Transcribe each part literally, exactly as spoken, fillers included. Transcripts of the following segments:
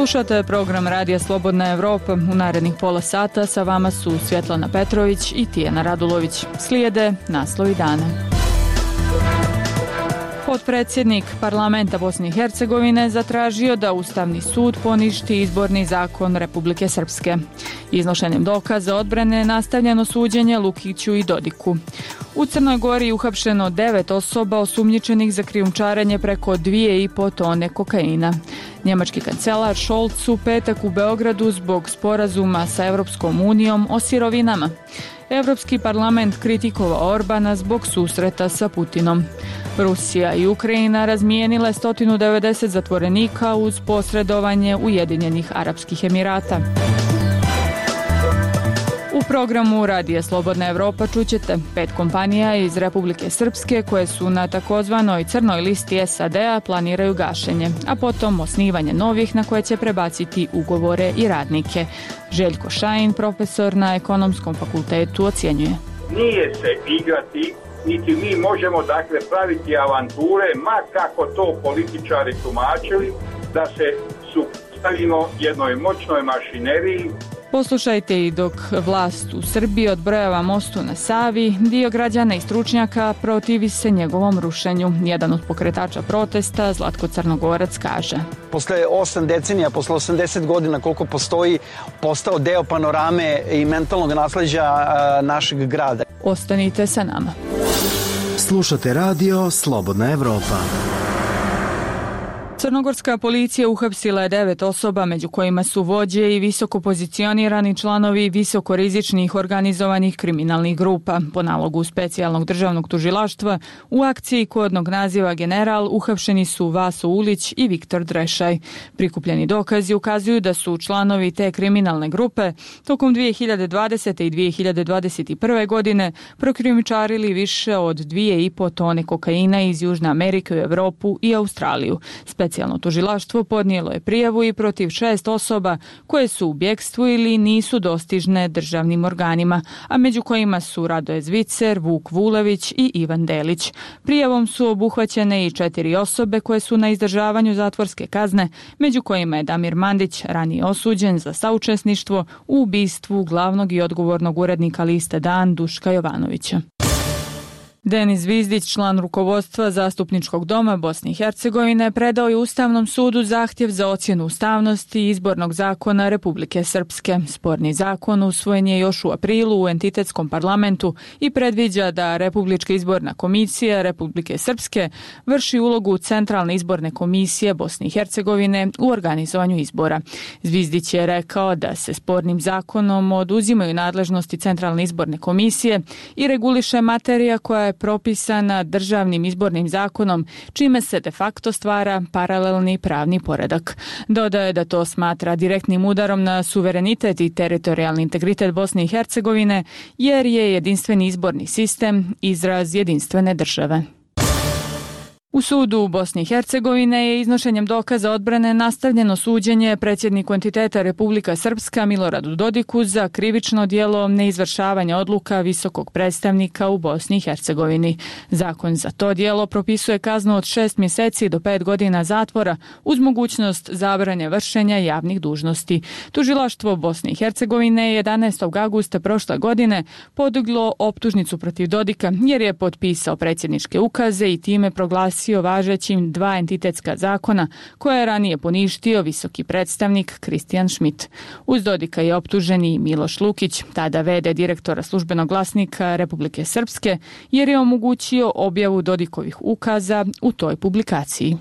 Slušate program Radija Slobodna Evropa. U narednih pola sata sa vama su Svjetlana Petrović i Tijana Radulović. Slijede naslovi dana. Potpredsjednik parlamenta Bosne i Hercegovine zatražio da Ustavni sud poništi izborni zakon Republike Srpske. Iznošenjem dokaza odbrane nastavljeno suđenje Lukiću i Dodiku. U Crnoj Gori uhapšeno devet osoba osumnjičenih za krijumčarenje preko dvije i po tone kokaina. Njemački kancelar Scholz u petak u Beogradu zbog sporazuma sa Evropskom unijom o sirovinama. Evropski parlament kritikovao Orbana zbog susreta sa Putinom. Rusija i Ukrajina razmijenile sto devedeset zatvorenika uz posredovanje Ujedinjenih Arapskih Emirata. U programu Radija Slobodna Evropa čućete pet kompanija iz Republike Srpske koje su na takozvanoj crnoj listi S A D-a planiraju gašenje, a potom osnivanje novih na koje će prebaciti ugovore i radnike. Željko Šajin, profesor na Ekonomskom fakultetu, ocjenjuje. Nije se igrati, niti mi možemo dakle praviti avanture, ma kako to političari tumačili, da se suprotstavimo jednoj moćnoj mašineriji. Poslušajte i dok vlast u Srbiji odbrojava mostu na Savi, dio građana i stručnjaka protivi se njegovom rušenju. Jedan od pokretača protesta, Zlatko Crnogorac, kaže: Posle osam decenija, posle osamdeset godina koliko postoji, postao deo panorame i mentalnog nasleđa našeg grada. Ostanite sa nama. Slušate radio Slobodna Evropa. Crnogorska policija uhapsila je devet osoba, među kojima su vođe i visoko pozicionirani članovi visokorizičnih organizovanih kriminalnih grupa. Po nalogu specijalnog državnog tužilaštva u akciji kodnog naziva General uhapšeni su Vaso Ulić i Viktor Drešaj. Prikupljeni dokazi ukazuju da su članovi te kriminalne grupe tokom dvije hiljade dvadesete. i dvije hiljade dvadeset prve. godine prokrijumčarili više od dvije i po tone kokaina iz Južne Amerike u Evropu i Australiju. Specijalno tužilaštvo podnijelo je prijavu i protiv šest osoba koje su u bjekstvu ili nisu dostižne državnim organima, a među kojima su Radoje Zvicer, Vuk Vulević i Ivan Delić. Prijavom su obuhvaćene i četiri osobe koje su na izdržavanju zatvorske kazne, među kojima je Damir Mandić, ranije osuđen za saučesništvo u ubistvu glavnog i odgovornog urednika liste Dan Duška Jovanovića. Denis Zvizdić, član rukovodstva Zastupničkog doma Bosne i Hercegovine, predao je Ustavnom sudu zahtjev za ocjenu ustavnosti izbornog zakona Republike Srpske. Sporni zakon usvojen je još u aprilu u entitetskom parlamentu i predviđa da Republička izborna komisija Republike Srpske vrši ulogu Centralne izborne komisije Bosne i Hercegovine u organizovanju izbora. Zvizdić je rekao da se spornim zakonom oduzimaju nadležnosti Centralne izborne komisije i reguliše materija koja je propisana državnim izbornim zakonom, čime se de facto stvara paralelni pravni poredak. Dodaje da to smatra direktnim udarom na suverenitet i teritorijalni integritet Bosne i Hercegovine, jer je jedinstveni izborni sistem izraz jedinstvene države. U sudu u Bosni i Hercegovine je iznošenjem dokaza odbrane nastavljeno suđenje predsjedniku entiteta Republika Srpska Miloradu Dodiku za krivično djelo neizvršavanja odluka visokog predstavnika u Bosni i Hercegovini. Zakon za to djelo propisuje kaznu od šest mjeseci do pet godina zatvora uz mogućnost zabrane vršenja javnih dužnosti. Tužilaštvo Bosne i Hercegovine je jedanaestog avgusta prošle godine podiglo optužnicu protiv Dodika jer je potpisao predsjedničke ukaze i time proglasio važećim dva entitetska zakona koje je ranije poništio visoki predstavnik Kristijan Schmidt. Uz Dodika je optuženi Miloš Lukić, tada ve de direktora Službenog glasnika Republike Srpske, jer je omogućio objavu Dodikovih ukaza u toj publikaciji.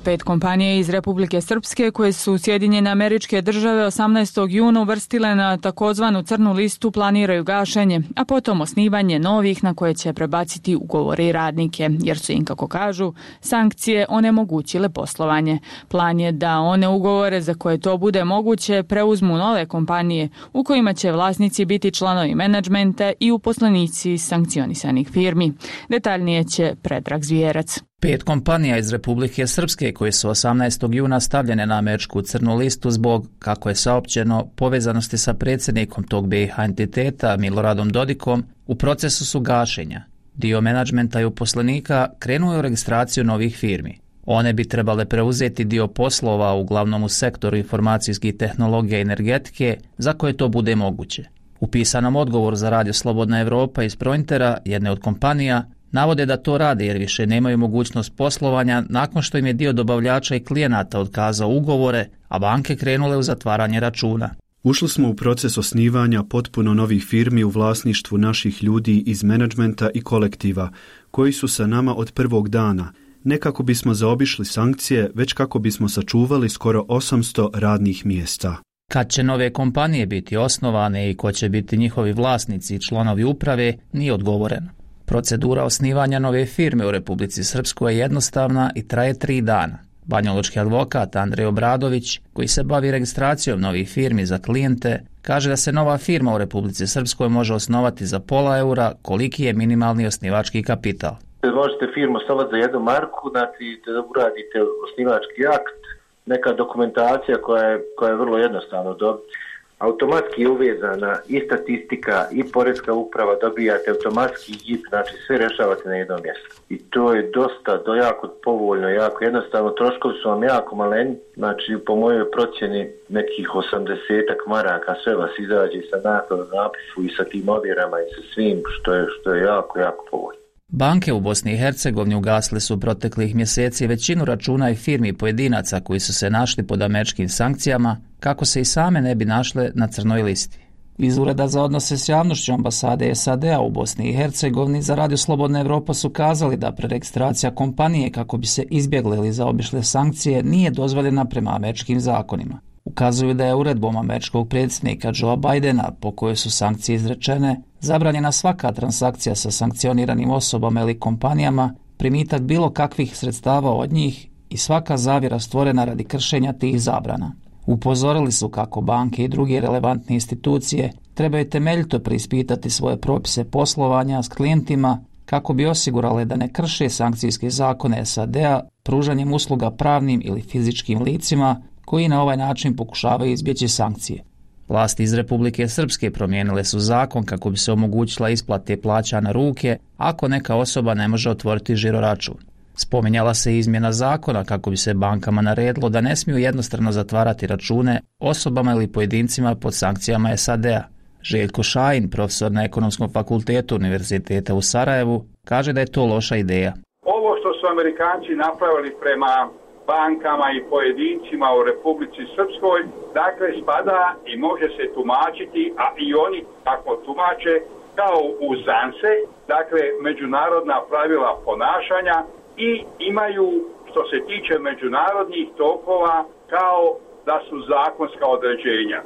Pet kompanija iz Republike Srpske koje su Sjedinjene Američke Države osamnaestog juna uvrstile na takozvanu crnu listu planiraju gašenje, a potom osnivanje novih na koje će prebaciti ugovore i radnike, jer su im, kako kažu, sankcije onemogućile poslovanje. Plan je da one ugovore za koje to bude moguće preuzmu nove kompanije u kojima će vlasnici biti članovi menadžmenta i uposlenici sankcionisanih firmi. Detaljnije će Predrag Zvijerac. Pet kompanija iz Republike Srpske koje su osamnaestog juna stavljene na američku crnu listu zbog, kako je saopćeno, povezanosti sa predsjednikom tog be i ha entiteta Miloradom Dodikom u procesu su gašenja. Dio menadžmenta i uposlenika krenuo je u registraciju novih firmi. One bi trebale preuzeti dio poslova uglavnom u sektoru informacijskih tehnologija i energetike za koje to bude moguće. U pisanom odgovoru za Radio Slobodna Evropa iz Prointera, jedne od kompanija, navode da to rade jer više nemaju mogućnost poslovanja nakon što im je dio dobavljača i klijenata otkazao ugovore, a banke krenule u zatvaranje računa. Ušli smo u proces osnivanja potpuno novih firmi u vlasništvu naših ljudi iz menadžmenta i kolektiva, koji su sa nama od prvog dana, ne kako bismo zaobišli sankcije, već kako bismo sačuvali skoro osamsto radnih mjesta. Kad će nove kompanije biti osnovane i ko će biti njihovi vlasnici i članovi uprave, nije odgovoreno. Procedura osnivanja nove firme u Republici Srpskoj je jednostavna i traje tri dana. Banjalučki advokat Andrej Obradović, koji se bavi registracijom novih firmi za klijente, kaže da se nova firma u Republici Srpskoj može osnovati za pola eura, koliki je minimalni osnivački kapital. Možete firmu osnovati za jednu marku, znači da uradite osnivački akt, neka dokumentacija koja je, koja je vrlo jednostavno dobiti. Automatski je uvezana i statistika i poreska uprava, dobijate automatski J I P, znači sve rešavate na jednom mjestu. I to je dosta, do jako povoljno, jako jednostavno, troškovi su vam jako maleni, znači po mojoj procjeni nekih osamdesetak maraka, sve vas izađe sa nakladom napisu i sa tim ovjerama i sa svim, što je, što je jako, jako povoljno. Banke u Bosni i Hercegovini ugasile su proteklih mjeseci većinu računa i firmi pojedinaca koji su se našli pod američkim sankcijama, kako se i same ne bi našle na crnoj listi. Iz Ureda za odnose s javnošću ambasade S A D-a u Bosni i Hercegovini za Radio Slobodna Evropa su kazali da preregistracija kompanije kako bi se izbjegle ili zaobišle sankcije nije dozvoljena prema američkim zakonima. Ukazuju da je uredbom američkog predsjednika Joea Bidena, po kojoj su sankcije izrečene, zabranjena svaka transakcija sa sankcioniranim osobama ili kompanijama, primitak bilo kakvih sredstava od njih i svaka zavjera stvorena radi kršenja tih zabrana. Upozorili su kako banke i druge relevantne institucije trebaju temeljito preispitati svoje propise poslovanja s klijentima kako bi osigurale da ne krše sankcijske zakone S A D-a pružanjem usluga pravnim ili fizičkim licima koji na ovaj način pokušavaju izbjeći sankcije. Vlasti iz Republike Srpske promijenile su zakon kako bi se omogućila isplate plaća na ruke ako neka osoba ne može otvoriti žiroračun. Spominjala se izmjena zakona kako bi se bankama naredilo da ne smiju jednostrano zatvarati račune osobama ili pojedincima pod sankcijama S A D-a. Željko Šajin, profesor na Ekonomskom fakultetu Univerziteta u Sarajevu, kaže da je to loša ideja. Ovo što su Amerikanci napravili prema bankama i pojedincima u Republici Srpskoj, dakle spada i može se tumačiti, a i oni tako tumače, kao uzance, dakle međunarodna pravila ponašanja i imaju, što se tiče međunarodnih tokova, kao da su zakonska određenja.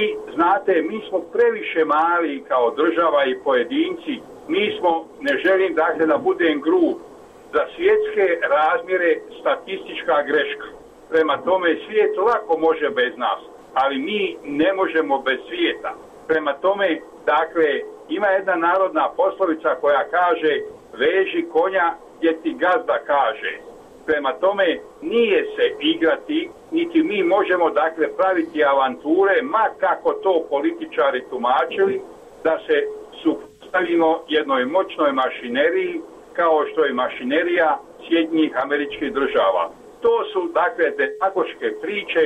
I znate, mi smo previše mali kao država i pojedinci, mi smo, ne želim dakle da budem grub, za svjetske razmjere statistička greška. Prema tome svijet lako može bez nas, ali mi ne možemo bez svijeta. Prema tome, dakle, ima jedna narodna poslovica koja kaže veži konja gdje ti gazda kaže. Prema tome, nije se igrati, niti mi možemo dakle praviti avanture, ma kako to političari tumačili, da se suprotstavimo jednoj moćnoj mašineriji kao što je mašinerija Sjedinjenih Američkih Država. To su dakle demagoške priče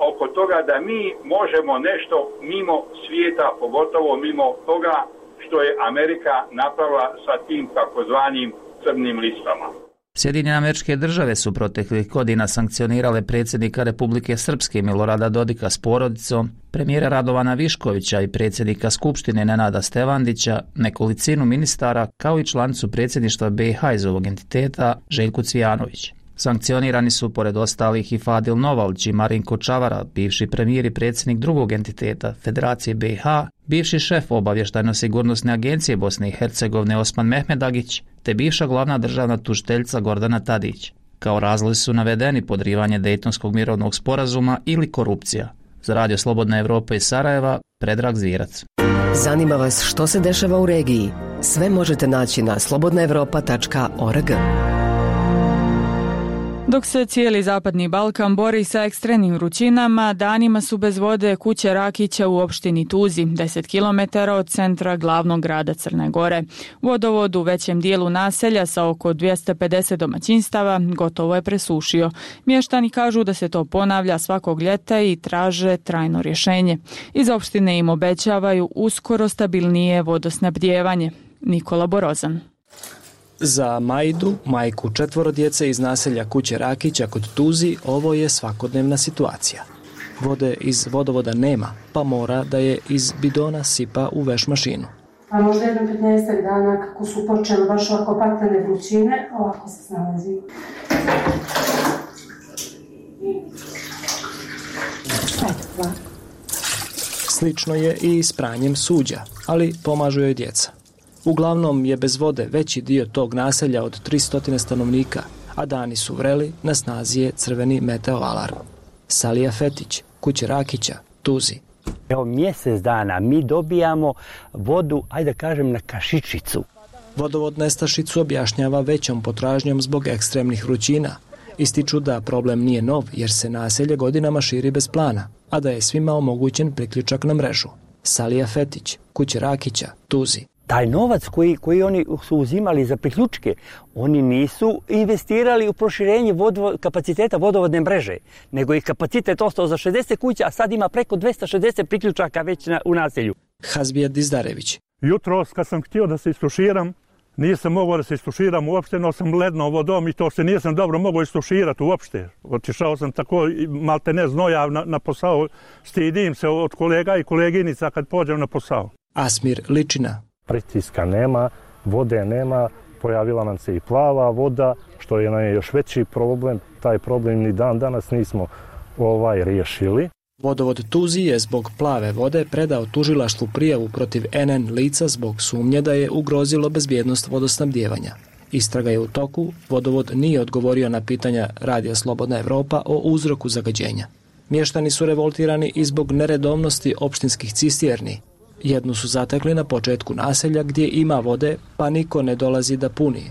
oko toga da mi možemo nešto mimo svijeta, pogotovo mimo toga što je Amerika napravila sa tim takozvanim crnim listama. Sjedinjene Američke Države su proteklih godina sankcionirale predsjednika Republike Srpske Milorada Dodika s porodicom, premijera Radovana Viškovića i predsjednika Skupštine Nenada Stevandića, nekolicinu ministara, kao i članicu predsjedništva B i H iz ovog entiteta Željku Cvijanović. Sankcionirani su pored ostalih i Fadil Novalć i Marinko Čavara, bivši premijer i predsjednik drugog entiteta Federacije B i H, bivši šef obavještajno-sigurnosne agencije Bosne i Hercegovine Osman Mehmedagić, te bivša glavna državna tužiteljica Gordana Tadić. Kao razlozi su navedeni podrivanje Dejtonskog mirovnog sporazuma ili korupcija. Za Radio Slobodna Evropa iz Sarajeva, Predrag Zvirac. Zanima vas što se dešava u regiji? Sve možete naći na slobodna evropa tačka org. Dok se cijeli zapadni Balkan bori sa ekstremnim vrućinama, danima su bez vode kuće Rakića u opštini Tuzi, deset kilometara od centra glavnog grada Crne Gore. Vodovod u većem dijelu naselja sa oko dvjesto pedeset domaćinstava gotovo je presušio. Mještani kažu da se to ponavlja svakog ljeta i traže trajno rješenje. Iz opštine im obećavaju uskoro stabilnije vodosnabdijevanje. Nikola Borozan. Za Majdu, majku četvoro djece iz naselja kuće Rakića kod Tuzi, ovo je svakodnevna situacija. Vode iz vodovoda nema, pa mora da je iz bidona sipa u veš mašinu. A možda jedan petnaestak dana kako su počele baš ovako paklene vrućine, ovako se snalazi. Slično je i s pranjem suđa, ali pomažu joj djeca. Uglavnom je bez vode veći dio tog naselja od tristo stanovnika, a dani su vreli, na snazi je crveni meteo alarm. Salija Fetić, kuće Rakića, Tuzi. Evo mjesec dana mi dobijamo vodu, ajde da kažem, na kašičicu. Vodovod nestašicu objašnjava većom potražnjom zbog ekstremnih vrućina. Ističu da problem nije nov jer se naselje godinama širi bez plana, a da je svima omogućen priključak na mrežu. Salija Fetić, kuće Rakića, Tuzi. Taj novac koji, koji oni su uzimali za priključke, oni nisu investirali u proširenje vodovo, kapaciteta vodovodne mreže, nego je kapacitet ostao za šezdeset kuća, a sad ima preko dvjesto šezdeset priključaka već na, u naselju. Hazbija Dizdarević. Jutros kad sam htio da se istuširam, nisam mogao da se istuširam uopšte, no sam ledno vodom i to se nisam dobro mogao istuširati uopšte. Otišao sam tako malte ne znojav na, na posao, stidim se od kolega i koleginica kad pođem na posao. Asmir Ličina. Pritiska nema, vode nema, pojavila nam se i plava voda, što je nam je još veći problem. Taj problem ni dan danas nismo ovaj riješili. Vodovod Tuzi je zbog plave vode predao tužilaštvu prijavu protiv en en lica zbog sumnje da je ugrozilo bezbjednost vodosnabdijevanja. Istraga je u toku, vodovod nije odgovorio na pitanja Radija Slobodna Evropa o uzroku zagađenja. Mještani su revoltirani i zbog neredovnosti opštinskih cisterni. Jednu su zatekli na početku naselja gdje ima vode, pa niko ne dolazi da puni.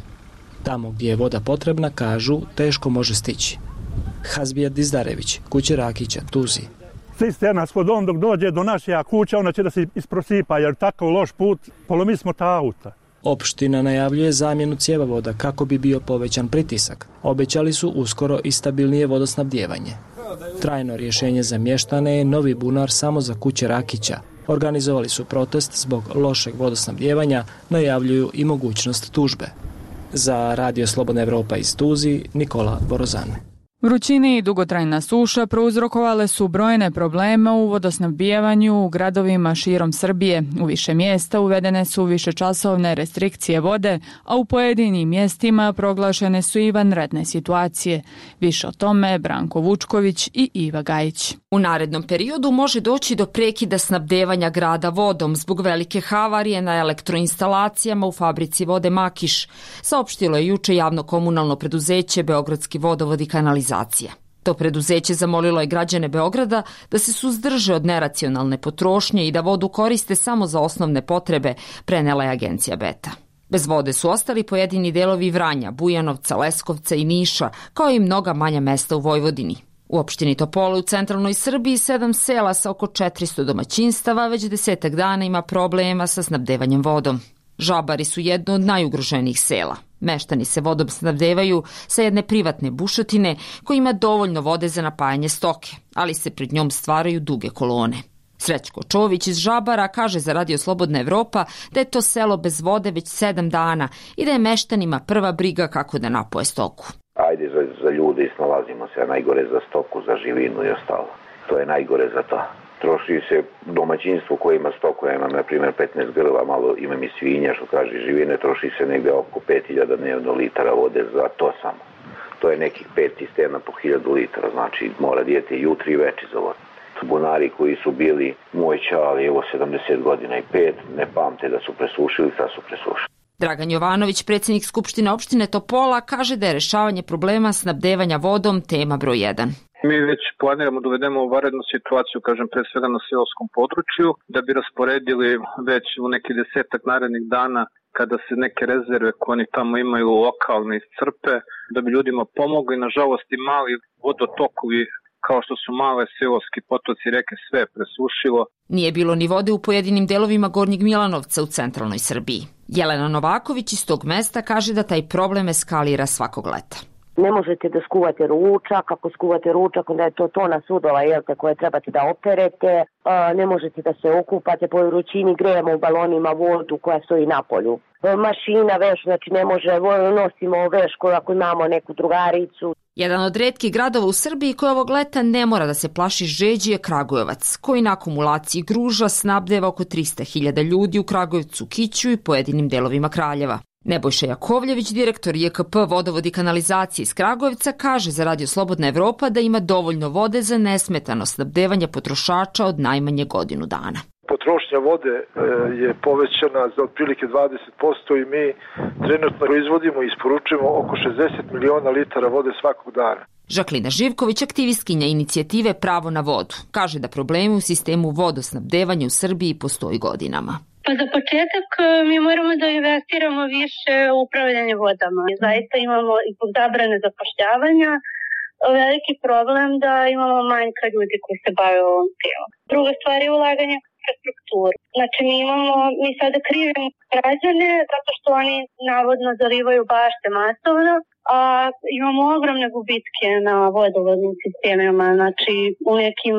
Tamo gdje je voda potrebna, kažu, teško može stići. Hazbija Dizdarević, kuće Rakića, Tuzi. Cisterna s vodom dok dođe do naše kuća, ona će da se isprosipa, jer takav loš put, polomi smo ta auta. Opština najavljuje zamjenu cjevovoda kako bi bio povećan pritisak. Obećali su uskoro i stabilnije vodosnabdijevanje. Trajno rješenje za mještane je novi bunar samo za kuće Rakića. Organizovali su protest zbog lošeg vodosnabdijevanja, najavljuju i mogućnost tužbe. Za Radio Slobodna Evropa iz Tuzi, Nikola Borozan. Vrućine i dugotrajna suša prouzrokovale su brojne probleme u vodosnabdijevanju u gradovima širom Srbije. U više mjesta uvedene su višečasovne restrikcije vode, a u pojedinim mjestima proglašene su i vanredne situacije. Više o tome Branko Vučković i Iva Gajić. U narednom periodu može doći do prekida snabdevanja grada vodom zbog velike havarije na elektroinstalacijama u fabrici vode Makiš, saopštilo je juče javno komunalno preduzeće Beogradski vodovod i kanalizacija. To preduzeće zamolilo je građane Beograda da se suzdrže od neracionalne potrošnje i da vodu koriste samo za osnovne potrebe, prenela je agencija Beta. Bez vode su ostali pojedini delovi Vranja, Bujanovca, Leskovca i Niša, kao i mnoga manja mesta u Vojvodini. U opštini Topole u centralnoj Srbiji sedam sela sa oko četiristo domaćinstava već desetak dana ima problema sa snabdevanjem vodom. Žabari su jedno od najugroženijih sela. Meštani se vodom snabdevaju sa jedne privatne bušotine koja ima dovoljno vode za napajanje stoke, ali se pred njom stvaraju duge kolone. Srećko Čović iz Žabara kaže za Radio Slobodna Evropa da je to selo bez vode već sedam dana i da je meštanima prva briga kako da napoje stoku. Ajde za, za ljude snalazimo se, a najgore za stoku, za živinu i ostalo. To je najgore za to. Troši se domaćinstvo koje ima stoku, ja imam na primjer petnaest grla, malo imam i svinja, što kaže živine, troši se negdje oko pet hiljada dnevno litara vode za to samo. To je nekih pet cisterna po hiljadu litara, znači mora dijete jutri i veči za vodu. Bunari koji su bili moj čali, evo sedamdeset godina i pet, ne pamte da su presušili, sad su presušili. Dragan Jovanović, predsjednik Skupštine opštine Topola, kaže da je rješavanje problema snabdevanja vodom tema broj jedan. Mi već planiramo da uvedemo u vanrednu situaciju, kažem, pre svega na seoskom području, da bi rasporedili već u neki desetak narednih dana kada se neke rezerve koje oni tamo imaju lokalne iscrpe, da bi ljudima pomogli. Nažalost i mali vodotokovi kao što su male seoski potoci, reke, sve presušilo. Nije bilo ni vode u pojedinim delovima Gornjeg Milanovca u centralnoj Srbiji. Jelena Novaković iz tog mesta kaže da taj problem eskalira svakog leta. Ne možete da skuvate ručak, ako skuvate ručak onda je to tona sudova jelte, koje trebate da operete, ne možete da se okupate, po vrućini grejemo u balonima vodu koja stoji na polju. Mašina, veš, znači ne može, nosimo veš ako imamo neku drugaricu. Jedan od retkih gradova u Srbiji koji ovog leta ne mora da se plaši žeđi je Kragujevac, koji na akumulaciji gruža snabdeva oko trista hiljada ljudi u Kragujevcu, Kiću i pojedinim delovima Kraljeva. Nebojša Jakovljević, direktor J K P Vodovod i kanalizacije iz Kragujevca, kaže za Radio Slobodna Evropa da ima dovoljno vode za nesmetano snabdevanje potrošača od najmanje godinu dana. Potrošnja vode je povećana za otprilike dvadeset posto i mi trenutno proizvodimo i isporučujemo oko šezdeset miliona litara vode svakog dana. Žaklina Živković, aktivistkinja inicijative Pravo na vodu, kaže da problemi u sistemu vodosnabdevanja u Srbiji postoji godinama. Pa za početak mi moramo da investiramo više u upravljanje vodama. Zaista imamo i zbog zabrane zapošljavanja veliki problem da imamo manjka ljudi koji se bave ovom temom. Druga stvar je ulaganje u infrastrukturu. Znači mi imamo, mi sada krivimo građane zato što oni navodno zalivaju bašte masovno, a imamo ogromne gubitke na vodovodnim sistemima. Znači u nekim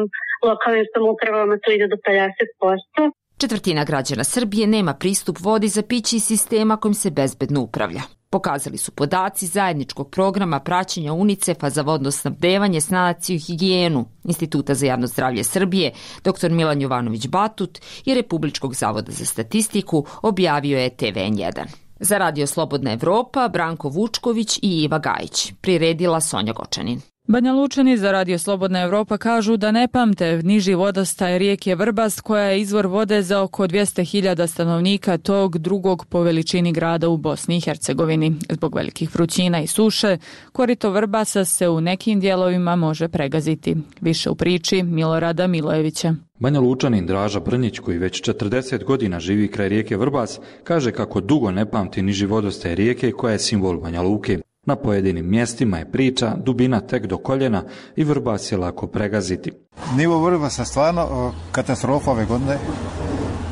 lokalnim samoupravama to ide do pedeset posto. Četvrtina građana Srbije nema pristup vodi za piće iz sistema kojim se bezbedno upravlja. Pokazali su podaci zajedničkog programa praćenja UNICEF-a za vodno snabdevanje, sanaciju i higijenu Instituta za javno zdravlje Srbije, dr Milan Jovanović Batut i Republičkog zavoda za statistiku, objavio je T V N jedan. Za Radio Slobodna Evropa, Branko Vučković i Iva Gajić. Priredila Sonja Gočanin. Banja Lučani za Radio Slobodna Evropa kažu da ne pamte niži vodostaj rijeke Vrbas, koja je izvor vode za oko dvjesto hiljada stanovnika tog drugog po veličini grada u Bosni i Hercegovini. Zbog velikih vrućina i suše, korito Vrbasa se u nekim dijelovima može pregaziti. Više u priči Milorada Milojevića. Banja Lučanin Draža Brnjić, koji već četrdeset godina živi kraj rijeke Vrbas, kaže kako dugo ne pamti niži vodostaj rijeke koja je simbol Banja Luke. Na pojedinim mjestima je priča dubina tek do koljena i Vrbas je lako pregaziti. Nivo Vrbasa stvarno katastrofa ove godine,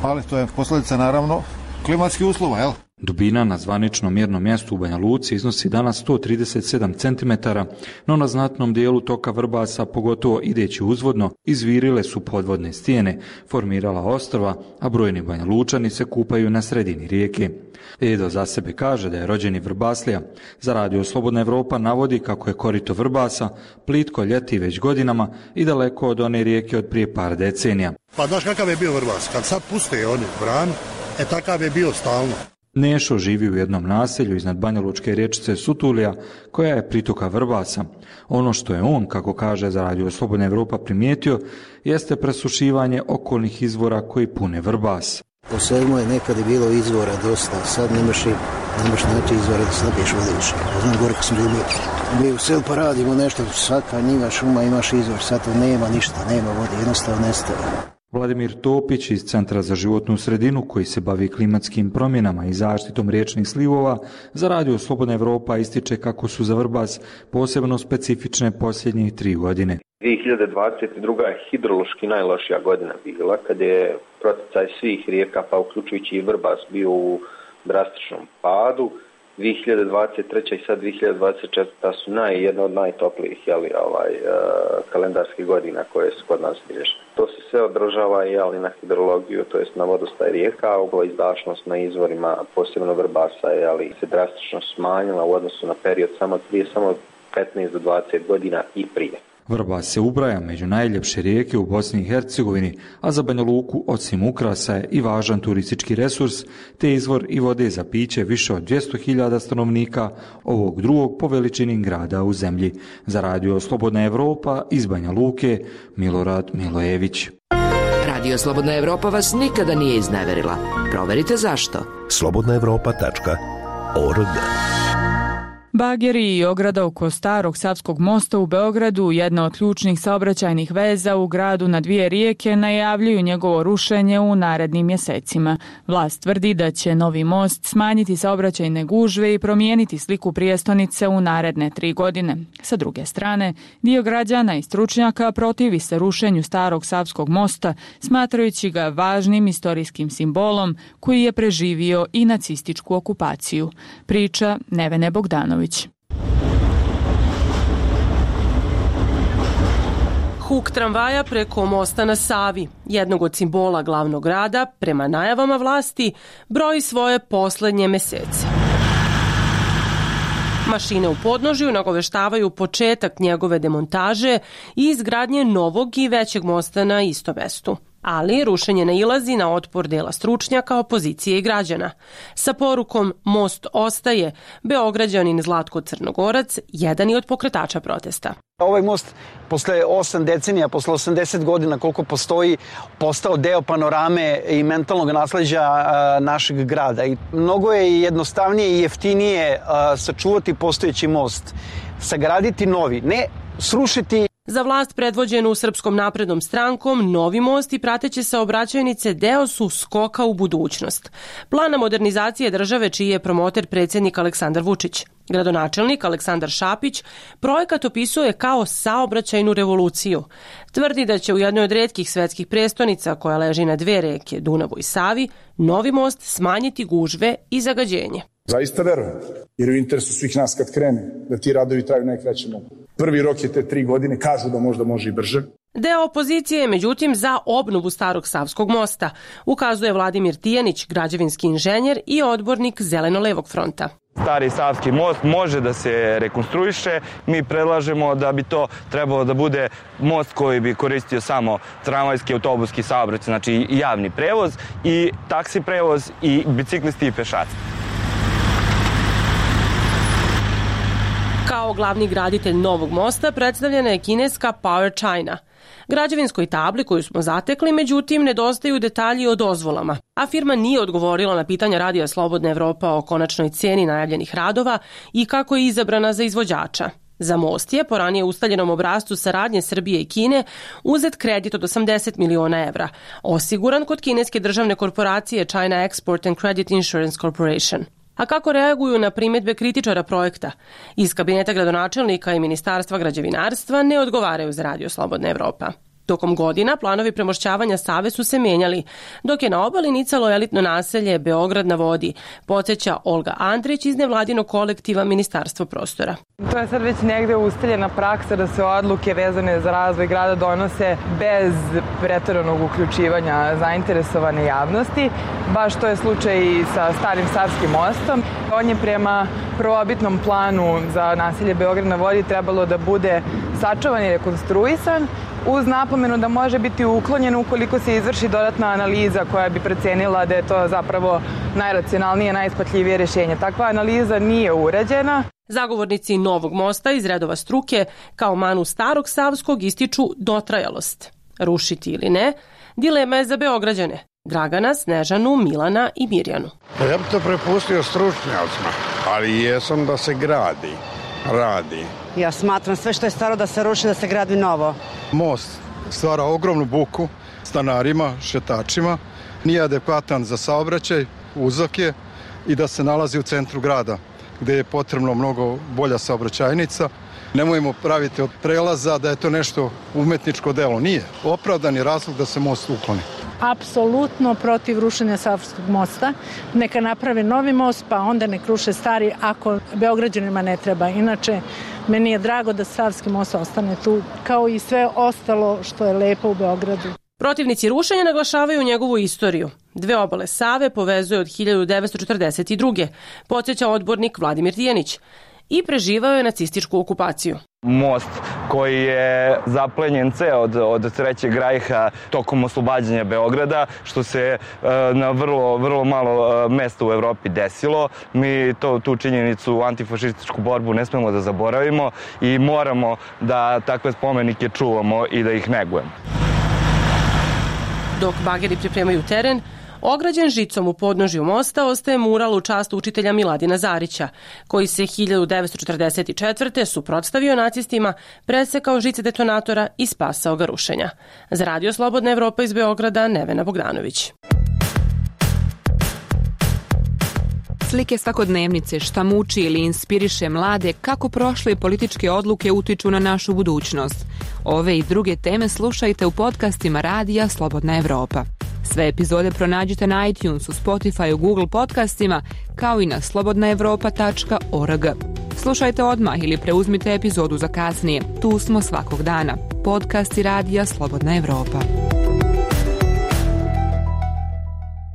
ali to je posljedica naravno klimatskih uslova, jel? Dubina na zvaničnom mjernom mjestu u Banja Luci iznosi danas sto trideset sedam centimetara, no na znatnom dijelu toka Vrbasa, pogotovo ideći uzvodno, izvirile su podvodne stijene, formirala ostrva, a brojni Banja Lučani se kupaju na sredini rijeke. Edo za sebe kaže da je rođeni Vrbaslija. Za Radio Slobodna Evropa navodi kako je korito Vrbasa plitko ljeti već godinama i daleko od one rijeke od prije par decenija. Pa znaš kakav je bio Vrbas? Kad sad puste oni branu, e takav je bio stalno. Nešo živi u jednom naselju iznad banjalučke riječice Sutulija, koja je pritoka Vrbasa. Ono što je on, kako kaže za Radio Slobodna Evropa, primijetio, jeste presušivanje okolnih izvora koji pune Vrbas. Po svemu je nekad je bilo izvora dosta, sad nemaš, nemaš naći izvora da se napiješ vode više. Znam gore kad smo bili mi u selu pa radimo nešto, svaka njiva šuma imaš izvor, sad to nema ništa, nema vode, jednostavno nestaje. Vladimir Topić iz Centra za životnu sredinu, koji se bavi klimatskim promjenama i zaštitom riječnih slivova, za Radio Slobodna Evropa ističe kako su za Vrbas posebno specifične posljednjih tri godine. dvije hiljade dvadeset druga je hidrološki najlošija godina bila, kad je proticaj svih rijeka, pa uključujući i Vrbas, bio u drastičnom padu. dvije hiljade dvadeset treća i sad dvije hiljade dvadeset četvrta su naj, jedna od najtoplijih jeli, ovaj, uh, kalendarskih godina koje su kod nas bilježne. To se sve odražava jeli, na hidrologiju, to jest na vodostaj rijeka, ugla izdašnost na izvorima, posebno Vrbasa, jeli, se drastično smanjila u odnosu na period samo prije samo petnaest do dvadeset godina i prije. Vrbas se ubraja među najljepše rijeke u Bosni i Hercegovini, a za Banja Luku osim ukrasa je i važan turistički resurs, te izvor i vode za piće više od dvjesto hiljada stanovnika ovog drugog po veličini grada u zemlji. Za Radio Slobodna Evropa iz Banja Luke, Milorad Milojević. Radio Slobodna Evropa vas nikada nije izneverila. Proverite zašto. slobodna evropa tačka org Bageri i ograda oko Starog Savskog mosta u Beogradu, jedna od ključnih saobraćajnih veza u gradu na dvije rijeke, najavljuju njegovo rušenje u narednim mjesecima. Vlast tvrdi da će novi most smanjiti saobraćajne gužve i promijeniti sliku prijestonice u naredne tri godine. Sa druge strane, dio građana i stručnjaka protivi se rušenju Starog Savskog mosta, smatrajući ga važnim istorijskim simbolom koji je preživio i nacističku okupaciju. Priča Nevene Bogdanović. Huk tramvaja preko mosta na Savi, jednog od simbola glavnog grada, prema najavama vlasti, broji svoje posljednje mesece. Mašine u podnožju nagoveštavaju početak njegove demontaže i izgradnje novog i većeg mosta na istom mestu. Ali rušenje nailazi na otpor dela stručnjaka, opozicije i građana. Sa porukom "Most ostaje", Beograđanin Zlatko Crnogorac jedan je od pokretača protesta. Ovaj most posle osam decenija, posle osamdeset godina koliko postoji, postao deo panorame i mentalnog nasleđa našeg grada. I mnogo je jednostavnije i jeftinije sačuvati postojeći most, sagraditi novi, ne srušiti. Za vlast predvođenu Srpskom naprednom strankom, novi most i prateće saobraćajnice deo su skoka u budućnost. Plana modernizacije države čiji je promoter predsjednik Aleksandar Vučić. Gradonačelnik Aleksandar Šapić projekat opisuje kao saobraćajnu revoluciju. Tvrdi da će u jednoj od retkih svetskih prestonica koja leži na dve reke, Dunavu i Savi, novi most smanjiti gužve i zagađenje. Zaista verujem, jer u interesu svih nas kad krene, da ti radovi traju najkraće mogu. Prvi rok je te tri godine, kažu da možda može i brže. Deo opozicije je međutim za obnovu Starog Savskog mosta, ukazuje Vladimir Tijanić, građevinski inženjer i odbornik Zeleno-levog fronta. Stari Savski most može da se rekonstruiše. Mi predlažemo da bi to trebalo da bude most koji bi koristio samo tramvajski, autobuski saobraćaj, znači i javni prevoz i taksi prevoz i biciklisti i pešaci. Kao glavni graditelj novog mosta predstavljena je kineska Power China. Građevinskoj tabli koju smo zatekli, međutim, nedostaju detalji o dozvolama, a firma nije odgovorila na pitanja Radija Slobodna Evropa o konačnoj cijeni najavljenih radova i kako je izabrana za izvođača. Za most je, po ranije ustaljenom obrascu saradnje Srbije i Kine, uzet kredit od osamdeset miliona evra, osiguran kod kineske državne korporacije China Export and Credit Insurance Corporation. A kako reaguju na primjedbe kritičara projekta? Iz kabineta gradonačelnika i Ministarstva građevinarstva ne odgovaraju za Radio Slobodna Evropa. Tokom godina planovi premošćavanja Save su se mijenjali, dok je na obali nicalo elitno naselje Beograd na vodi, podsjeća Olga Andrić iz nevladinog kolektiva Ministarstvo prostora. To je sad već negde ustaljena praksa da se odluke vezane za razvoj grada donose bez pretjeranog uključivanja zainteresovane javnosti. Baš to je slučaj i sa Starim Savskim mostom. On je prema prvobitnom planu za naselje Beograd na vodi trebalo da bude sačuvan i rekonstruisan, uz napomenu da može biti uklonjen ukoliko se izvrši dodatna analiza koja bi procenila da je to zapravo najracionalnije, najisplativije rješenje. Takva analiza nije urađena. Zagovornici novog mosta iz redova struke kao manu Starog Savskog ističu dotrajalost. Rušiti ili ne, dilema je za Beograđane. Dragana, Snežanu, Milana i Mirjanu. Ja bih to prepustio stručnjacima, ali jesam da se gradi, radi. Ja smatram sve što je staro da se ruši, da se gradi novo. Most stvara ogromnu buku stanarima, šetačima, nije adekvatan za saobraćaj, uzak je i da se nalazi u centru grada, gdje je potrebno mnogo bolja saobraćajnica. Nemojmo praviti od prelaza da je to nešto umetničko delo. Nije. Opravdan je razlog da se most ukloni. Apsolutno protiv rušenja Savskog mosta. Neka naprave novi most, pa onda nek ruše stari ako Beograđanima ne treba. Inače, meni je drago da Savski most ostane tu, kao i sve ostalo što je lepo u Beogradu. Protivnici rušenja naglašavaju njegovu istoriju. Dve obale Save povezuje od hiljadu devetsto četrdeset druge. Podsjeća odbornik Vladimir Tijanić. I preživao je nacističku okupaciju. Most koji je zaplenjen ceo od, od Trećeg rajha tokom oslobađanja Beograda, što se e, na vrlo, vrlo malo e, mesta u Evropi desilo. Mi to, tu činjenicu, antifašističku borbu ne smemo da zaboravimo i moramo da takve spomenike čuvamo i da ih negujemo. Dok bageri pripremaju teren, Ograđen žicom u podnožju mosta ostaje mural u čast učitelja Miladina Zarića, koji se hiljadu devetsto četrdeset četvrte suprotstavio nacistima, presekao žice detonatora i spasao ga rušenja. Za Radio Slobodna Evropa iz Beograda, Nevena Bogdanović. Slike svakodnevnice, šta muči ili inspiriše mlade, kako prošle političke odluke utiču na našu budućnost. Ove i druge teme slušajte u podcastima Radija Slobodna Evropa. Sve epizode pronađite na iTunesu, Spotifyu, Google podcastima, kao i na slobodna evropa tačka org. Slušajte odmah ili preuzmite epizodu za kasnije. Tu smo svakog dana. Podcasti Radija Slobodna Evropa.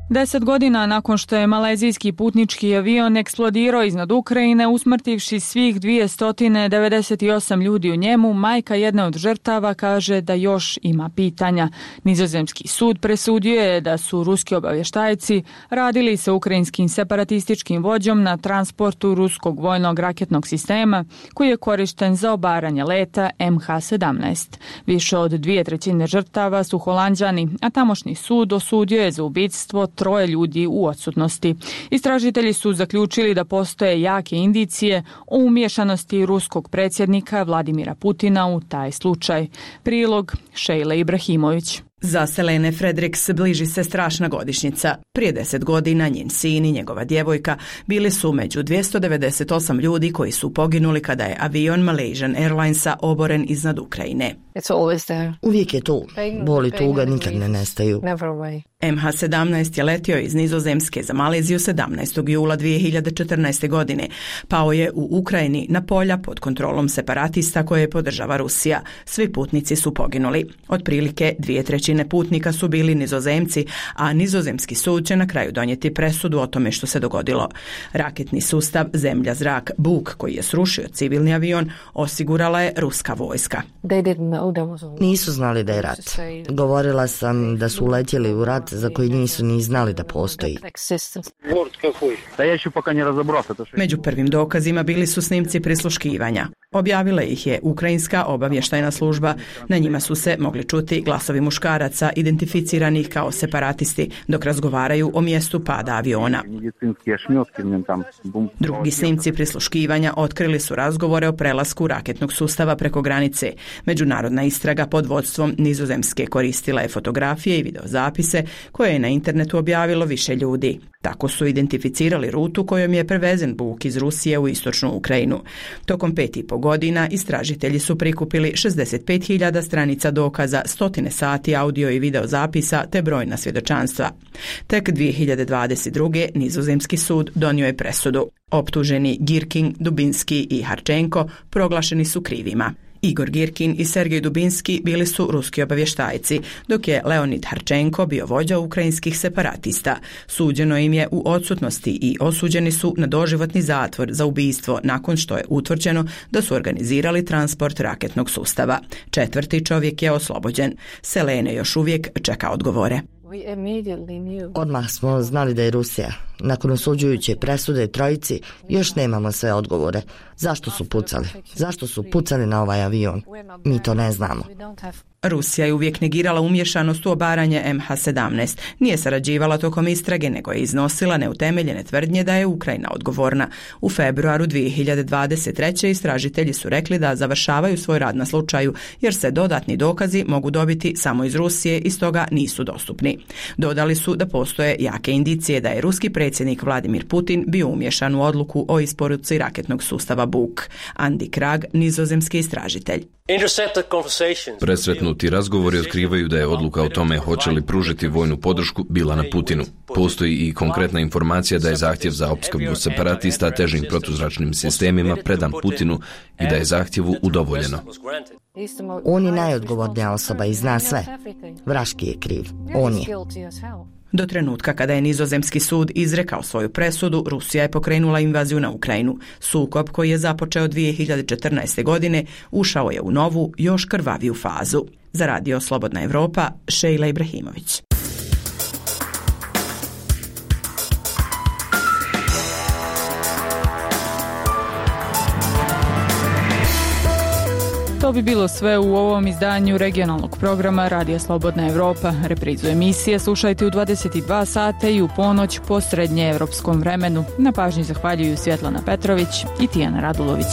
Deset godina nakon što je malezijski putnički avion eksplodirao iznad Ukrajine, usmrtivši svih dvjesto devedeset osam ljudi u njemu, majka jedne od žrtava kaže da još ima pitanja. Nizozemski sud presudio je da su ruski obavještajci radili sa ukrajinskim separatističkim vođom na transportu ruskog vojnog raketnog sistema koji je korišten za obaranje leta em ha sedamnaest. Više od dvije trećine žrtava su Holanđani, a tamošnji sud osudio je za ubictvo troje ljudi u odsutnosti. Istražitelji su zaključili da postoje jake indicije o umiješanosti ruskog predsjednika Vladimira Putina u taj slučaj. Prilog Šejle Ibrahimović. Za Selene Fredericks bliži se strašna godišnjica. Prije deset godina njen sin i njegova djevojka bili su među dvjesto devedeset osam ljudi koji su poginuli kada je avion Malaysian Airlinesa oboren iznad Ukrajine. Uvijek je tu. Bol i tuga nikad ne nestaju. em ha sedamnaest je letio iz Nizozemske za Maleziju sedamnaestog jula dvije hiljade četrnaeste. godine. Pao je u Ukrajini na polja pod kontrolom separatista koje podržava Rusija. Svi putnici su poginuli. Otprilike dvije trećine putnika su bili Nizozemci, a Nizozemski sud će na kraju donijeti presudu o tome što se dogodilo. Raketni sustav Zemlja-zrak Buk, koji je srušio civilni avion, osigurala je ruska vojska. Nisu znali da je rat. Govorila sam da su uletjeli u rat za koji nisu ni znali da postoji. Među prvim dokazima bili su snimci prisluškivanja. Objavila ih je ukrajinska obavještajna služba. Na njima su se mogli čuti glasovi muškaraca identificiranih kao separatisti dok razgovaraju o mjestu pada aviona. Drugi snimci prisluškivanja otkrili su razgovore o prelasku raketnog sustava preko granice. Međunarodna istraga pod vodstvom Nizozemske koristila je fotografije i videozapise koje je na internetu objavilo više ljudi. Tako su identificirali rutu kojom je prevezen Buk iz Rusije u istočnu Ukrajinu. Tokom pet i po godina istražitelji su prikupili šezdeset pet hiljada stranica dokaza, stotine sati audio i video zapisa te brojna svjedočanstva. Tek dvije hiljade dvadeset druge. Nizozemski sud donio je presudu. Optuženi Girkin, Dubinski i Harčenko proglašeni su krivima. Igor Girkin i Sergej Dubinski bili su ruski obavještajci, dok je Leonid Harčenko bio vođa ukrajinskih separatista. Suđeno im je u odsutnosti i osuđeni su na doživotni zatvor za ubijstvo nakon što je utvrđeno da su organizirali transport raketnog sustava. Četvrti čovjek je oslobođen. Selene još uvijek čeka odgovore. Odmah smo znali da je Rusija. Nakon osuđujuće presude trojici još nemamo sve odgovore. Zašto su pucali? Zašto su pucali na ovaj avion? Mi to ne znamo. Rusija je uvijek negirala umješanost u obaranje em ha sedamnaest. Nije sarađivala tokom istrage, nego je iznosila neutemeljene tvrdnje da je Ukrajina odgovorna. U februaru dvije hiljade dvadeset treće. istražitelji su rekli da završavaju svoj rad na slučaju, jer se dodatni dokazi mogu dobiti samo iz Rusije i stoga nisu dostupni. Dodali su da postoje jake indicije da je ruski predsjednik Vladimir Putin bio umješan u odluku o isporuci raketnog sustava Buk. Andi Krag, nizozemski istražitelj. Presretnuti razgovori otkrivaju da je odluka o tome hoće li pružiti vojnu podršku bila na Putinu. Postoji i konkretna informacija da je zahtjev za opskrbu separatista težim protuzračnim sistemima predan Putinu i da je zahtjevu udovoljeno. On je najodgovornija osoba i zna sve. Vraški je kriv. On je. Do trenutka kada je Nizozemski sud izrekao svoju presudu, Rusija je pokrenula invaziju na Ukrajinu. Sukob koji je započeo dvije hiljade četrnaeste. godine ušao je u novu, još krvaviju fazu. Za Radio Slobodna Evropa, Šejla Ibrahimović. To bi bilo sve u ovom izdanju regionalnog programa Radija Slobodna Evropa. Reprizu emisije slušajte u dvadeset dva sata i u ponoć po srednjeevropskom vremenu. Na pažnji zahvaljuju Svjetlana Petrović i Tijana Radulović.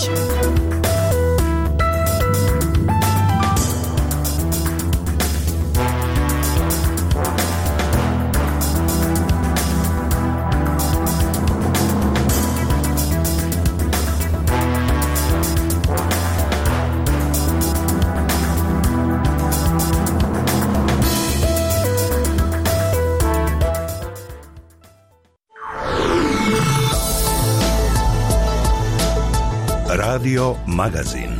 Radio Magazin.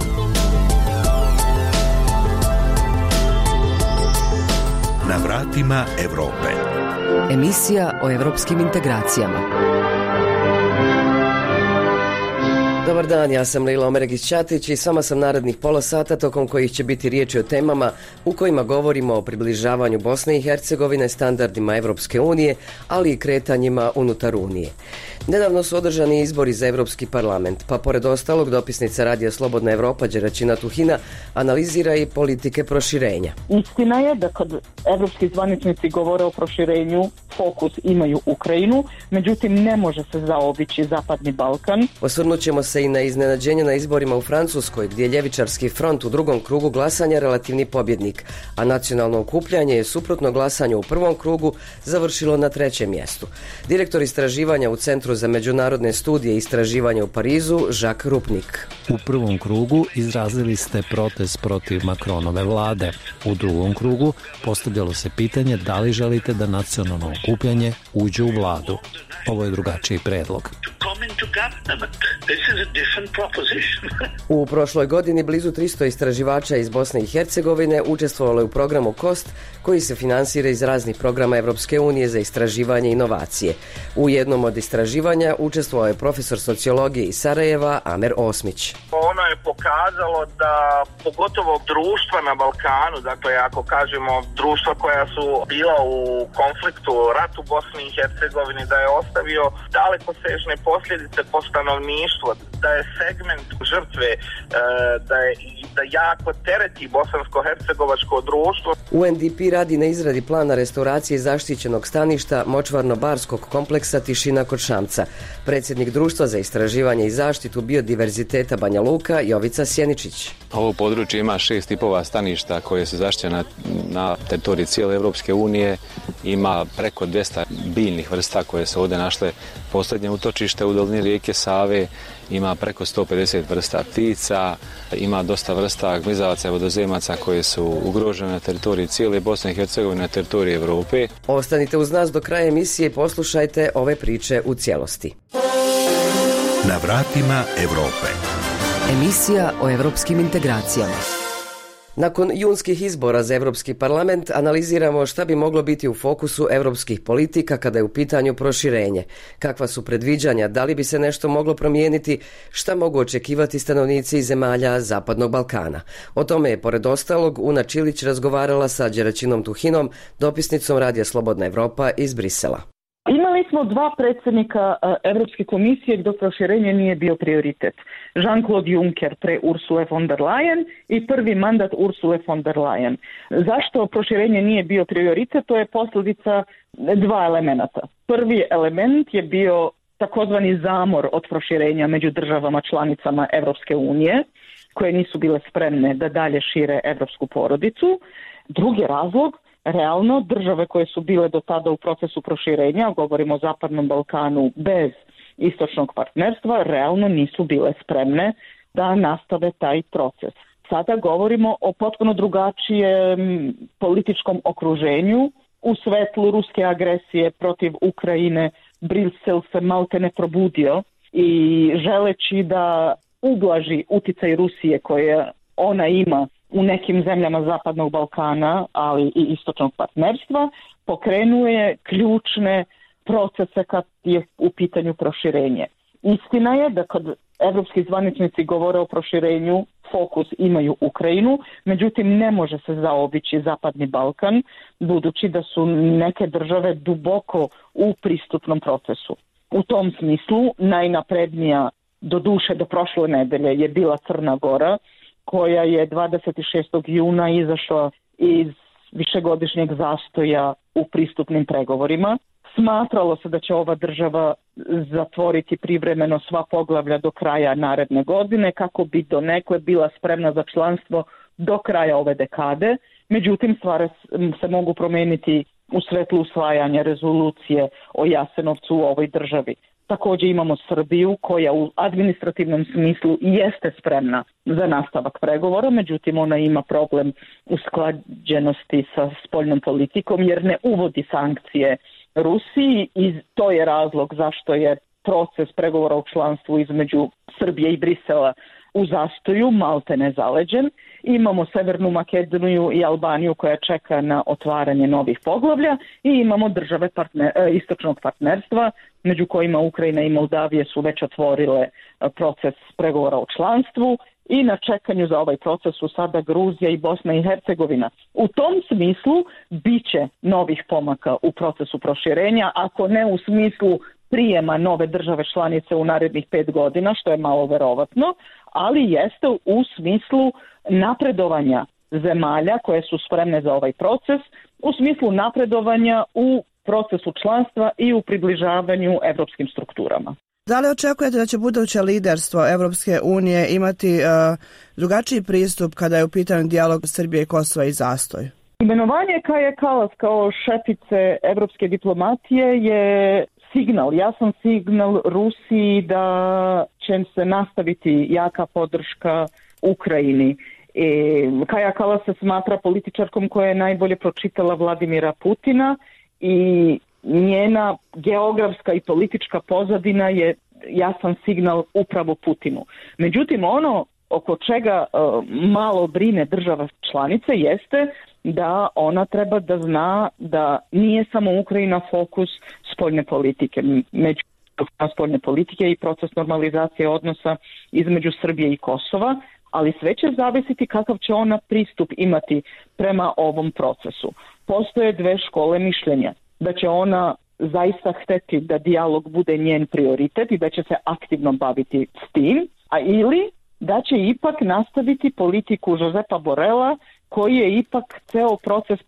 Na vratima Evrope. Emisija o evropskim integracijama. Dobar dan, ja sam Lila Omeregić-Ćatić i s vama sam narednih pola sata tokom kojih će biti riječi o temama u kojima govorimo o približavanju Bosne i Hercegovine standardima Evropske unije, ali i kretanjima unutar Unije. Nedavno su održani izbori za Evropski parlament, pa pored ostalog dopisnica Radija Slobodna Evropa Đeračina Tuhina analizira i politike proširenja. Istina je da kad evropski zvaničnici govore o proširenju, fokus imaju Ukrajinu, međutim ne može se zaobići Zapadni Balkan. Osvrnut ćemo se i na iznenađenje na izborima u Francuskoj, gdje je ljevičarski front u drugom krugu glasanja relativni pobjednik, a nacionalno okupljanje je suprotno glasanju u prvom krugu završilo na trećem mjestu. Direktor istraživanja u Centru za međunarodne studije i istraživanja u Parizu, Jacques Rupnik. U prvom krugu izrazili ste protest protiv Macronove vlade. U drugom krugu postavljalo se pitanje da li želite da nacionalno okupljanje uđe u vladu. Ovo je drugačiji predlog. U prošloj godini blizu tristo istraživača iz Bosne i Hercegovine učestvovalo je u programu KOST, koji se finansira iz raznih programa Evropske unije za istraživanje i inovacije. U jednom od istraživanja učestvovao je profesor sociologije iz Sarajeva Amer Osmić. Ono je pokazalo da pogotovo društva na Balkanu, dakle ako kažemo društva koja su bila u konfliktu, ratu u Bosni i Hercegovini, da je ostavio dalekosežne posljedice po stanovništvu, da je segment žrtve, da je da jako tereti bosansko-hercegovačko društvo. U N D P radi na izradi plana restauracije zaštićenog staništa močvarno-barskog kompleksa Tišina kod Šamca. Predsjednik društva za istraživanje i zaštitu biodiverziteta Banja Luka Jovica Sjeničić. Ovo područje ima šest tipova staništa koje su zaštićena na teritoriji cijele Evropske unije. Ima preko dvjesto biljnih vrsta koje se ovdje našle posljednje utočište u dolini rijeke Save. Ima preko sto pedeset vrsta ptica, ima dosta vrsta gmizavaca i vodozemaca koje su ugrožene na teritoriji cijele Bosne i Hercegovine, na teritoriji Evrope. Ostanite uz nas do kraja emisije i poslušajte ove priče u cijelosti. Na vratima Evrope. Emisija o evropskim integracijama. Nakon junskih izbora za Evropski parlament analiziramo šta bi moglo biti u fokusu evropskih politika kada je u pitanju proširenje. Kakva su predviđanja, da li bi se nešto moglo promijeniti, šta mogu očekivati stanovnici zemalja Zapadnog Balkana. O tome je pored ostalog Una Čilić razgovarala sa Đeračinom Tuhinom, dopisnicom Radija Slobodna Evropa iz Brisela. Imali smo dva predsjednika Europske komisije gdje proširenje nije bio prioritet. Jean-Claude Juncker pre Ursule von der Leyen i prvi mandat Ursule von der Leyen. Zašto proširenje nije bio prioritet? To je posljedica dva elementa. Prvi element je bio takozvani zamor od proširenja među državama članicama Europske unije, koje nisu bile spremne da dalje šire europsku porodicu. Drugi razlog, realno, države koje su bile do tada u procesu proširenja, govorimo o Zapadnom Balkanu bez istočnog partnerstva, realno nisu bile spremne da nastave taj proces. Sada govorimo o potpuno drugačijem političkom okruženju. U svetlu ruske agresije protiv Ukrajine Brisel se malte ne probudio i želeći da ublaži uticaj Rusije koje ona ima u nekim zemljama Zapadnog Balkana, ali i istočnog partnerstva, pokrenuje ključne procese kad je u pitanju proširenje. Istina je da kad evropski zvaničnici govore o proširenju, fokus imaju Ukrajinu, međutim ne može se zaobići Zapadni Balkan, budući da su neke države duboko u pristupnom procesu. U tom smislu najnaprednija, do duše do prošle nedelje, je bila Crna Gora, koja je dvadeset šestog juna izašla iz višegodišnjeg zastoja u pristupnim pregovorima. Smatralo se da će ova država zatvoriti privremeno sva poglavlja do kraja naredne godine kako bi donekle bila spremna za članstvo do kraja ove dekade. Međutim, stvari se mogu promijeniti u svetlu usvajanja rezolucije o Jasenovcu u ovoj državi. Također imamo Srbiju koja u administrativnom smislu jeste spremna za nastavak pregovora, međutim ona ima problem usklađenosti sa spoljnom politikom jer ne uvodi sankcije Rusiji i to je razlog zašto je proces pregovora u članstvu između Srbije i Brisela u zastoju, malte ne zaleđen. Imamo Severnu Makedoniju i Albaniju koja čeka na otvaranje novih poglavlja i imamo države partner, istočnog partnerstva, među kojima Ukrajina i Moldavije su već otvorile proces pregovora o članstvu i na čekanju za ovaj proces su sada Gruzija i Bosna i Hercegovina. U tom smislu biće novih pomaka u procesu proširenja, ako ne u smislu prijema nove države članice u narednih pet godina, što je malo verovatno, ali jeste u smislu napredovanja zemalja koje su spremne za ovaj proces, u smislu napredovanja u procesu članstva i u približavanju evropskim strukturama. Da li očekujete da će buduće liderstvo Evropske unije imati uh, drugačiji pristup kada je u pitanju dijalog Srbije i Kosova i zastoj? Imenovanje Kaje Kalas kao šefice evropske diplomatije je signal, jasan signal Rusiji da će se nastaviti jaka podrška Ukrajini. E, Kaja Kalas se smatra političarkom koja je najbolje pročitala Vladimira Putina i njena geografska i politička pozadina je jasan signal upravo Putinu. Međutim, ono oko čega uh, malo brine država članice jeste da ona treba da zna da nije samo Ukrajina fokus spoljne politike, među spoljne politike i proces normalizacije odnosa između Srbije i Kosova, ali sve će zavisiti kakav će ona pristup imati prema ovom procesu. Postoje dve škole mišljenja, da će ona zaista hteti da dijalog bude njen prioritet i da će se aktivno baviti s tim, a ili da će ipak nastaviti politiku Josepa Borela koji je ipak ceo proces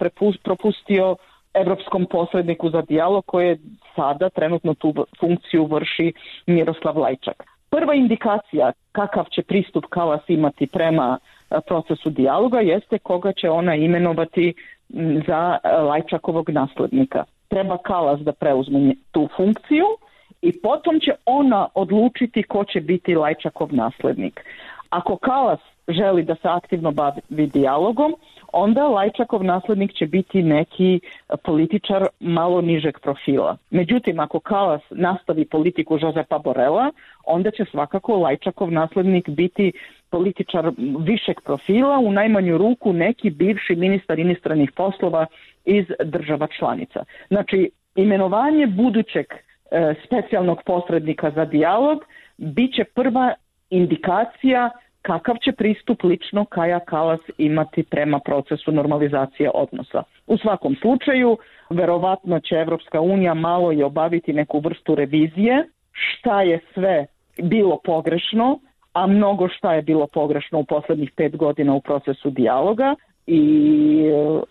propustio evropskom posredniku za dijalog koji je sada trenutno tu funkciju vrši Miroslav Lajčak. Prva indikacija kakav će pristup Kalas imati prema procesu dijaloga jeste koga će ona imenovati za Lajčakovog naslednika. Treba Kalas da preuzme tu funkciju i potom će ona odlučiti ko će biti Lajčakov naslednik. Ako Kalas želi da se aktivno bavi dijalogom, onda Lajčakov naslednik će biti neki političar malo nižeg profila. Međutim, ako Kalas nastavi politiku Josepa Borela, onda će svakako Lajčakov naslednik biti političar višeg profila, u najmanju ruku neki bivši ministar inostranih poslova iz država članica. Znači, imenovanje budućeg e, specijalnog posrednika za dijalog bit će prva indikacija kakav će pristup lično Kaja Kalas imati prema procesu normalizacije odnosa. U svakom slučaju, verovatno će Evropska unija malo i obaviti neku vrstu revizije, šta je sve bilo pogrešno, a mnogo šta je bilo pogrešno u poslednjih pet godina u procesu dijaloga i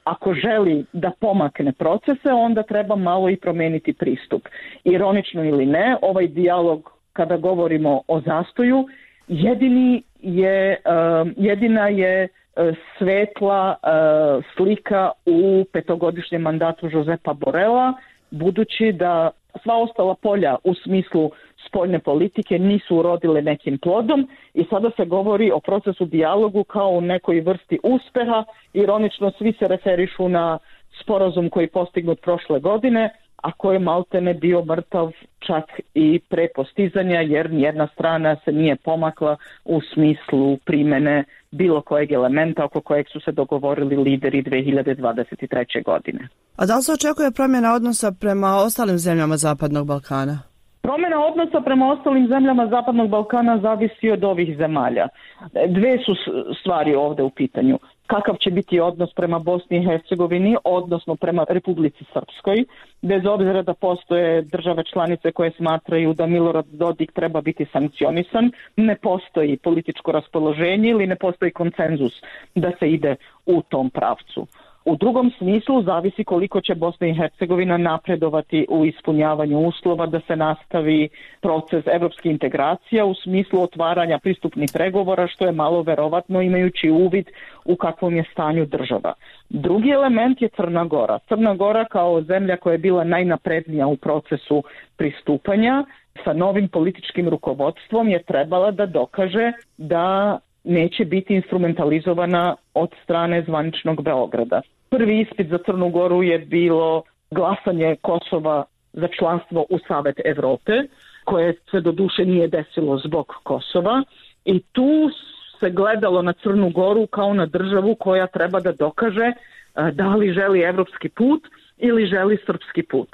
ako želi da pomakne procese, onda treba malo i promeniti pristup. Ironično ili ne, ovaj dijalog, kada govorimo o zastoju, jedini je, uh, jedina je uh, svetla uh, slika u petogodišnjem mandatu Josepa Borela, budući da sva ostala polja u smislu spoljne politike nisu urodile nekim plodom i sada se govori o procesu dijalogu kao u nekoj vrsti uspeha. Ironično svi se referišu na sporazum koji je postignut prošle godine, a koji je maltene bio mrtav čak i pre postizanja, jer nijedna strana se nije pomakla u smislu primene bilo kojeg elementa oko kojeg su se dogovorili lideri dve hiljade dvadeset treće. godine. A da li se očekuje promjena odnosa prema ostalim zemljama Zapadnog Balkana? Promjena odnosa prema ostalim zemljama Zapadnog Balkana zavisi od ovih zemalja. Dve su stvari ovdje u pitanju. Kakav će biti odnos prema Bosni i Hercegovini, odnosno prema Republici Srpskoj, bez obzira da postoje države članice koje smatraju da Milorad Dodik treba biti sankcionisan, ne postoji političko raspoloženje ili ne postoji konsenzus da se ide u tom pravcu. U drugom smislu zavisi koliko će Bosna i Hercegovina napredovati u ispunjavanju uslova da se nastavi proces evropskih integracija u smislu otvaranja pristupnih pregovora, što je malo verovatno imajući uvid u kakvom je stanju država. Drugi element je Crna Gora. Crna Gora kao zemlja koja je bila najnaprednija u procesu pristupanja sa novim političkim rukovodstvom je trebala da dokaže da neće biti instrumentalizovana od strane zvaničnog Beograda. Prvi ispit za Crnu Goru je bilo glasanje Kosova za članstvo u Savet Evrope, koje se doduše nije desilo zbog Kosova, i tu se gledalo na Crnu Goru kao na državu koja treba da dokaže da li želi evropski put ili želi srpski put.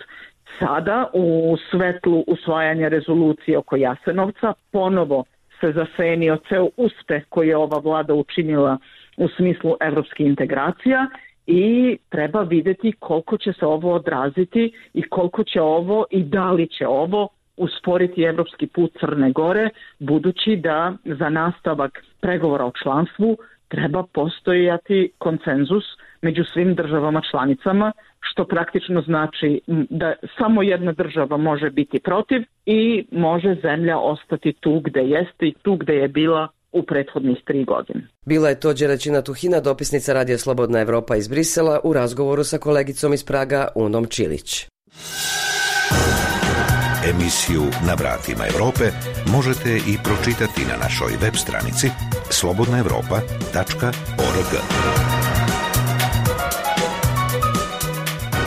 Sada u svetlu usvajanja rezolucije oko Jasenovca ponovo se zasenio ceo uspeh koji je ova vlada učinila u smislu evropskih integracija i treba vidjeti koliko će se ovo odraziti i koliko će ovo i da li će ovo usporiti evropski put Crne Gore, budući da za nastavak pregovora o članstvu treba postojati konsenzus među svim državama članicama, što praktično znači da samo jedna država može biti protiv i može zemlja ostati tu gde jeste i tu gde je bila u prethodnih tri godine. Bila je to Đeraćina Tuhina, dopisnica Radija Slobodna Evropa iz Brisela, u razgovoru sa kolegicom iz Praga Unom Čilić. Emisiju Na vratima Evrope možete i pročitati na našoj web stranici slobodna evropa tačka org.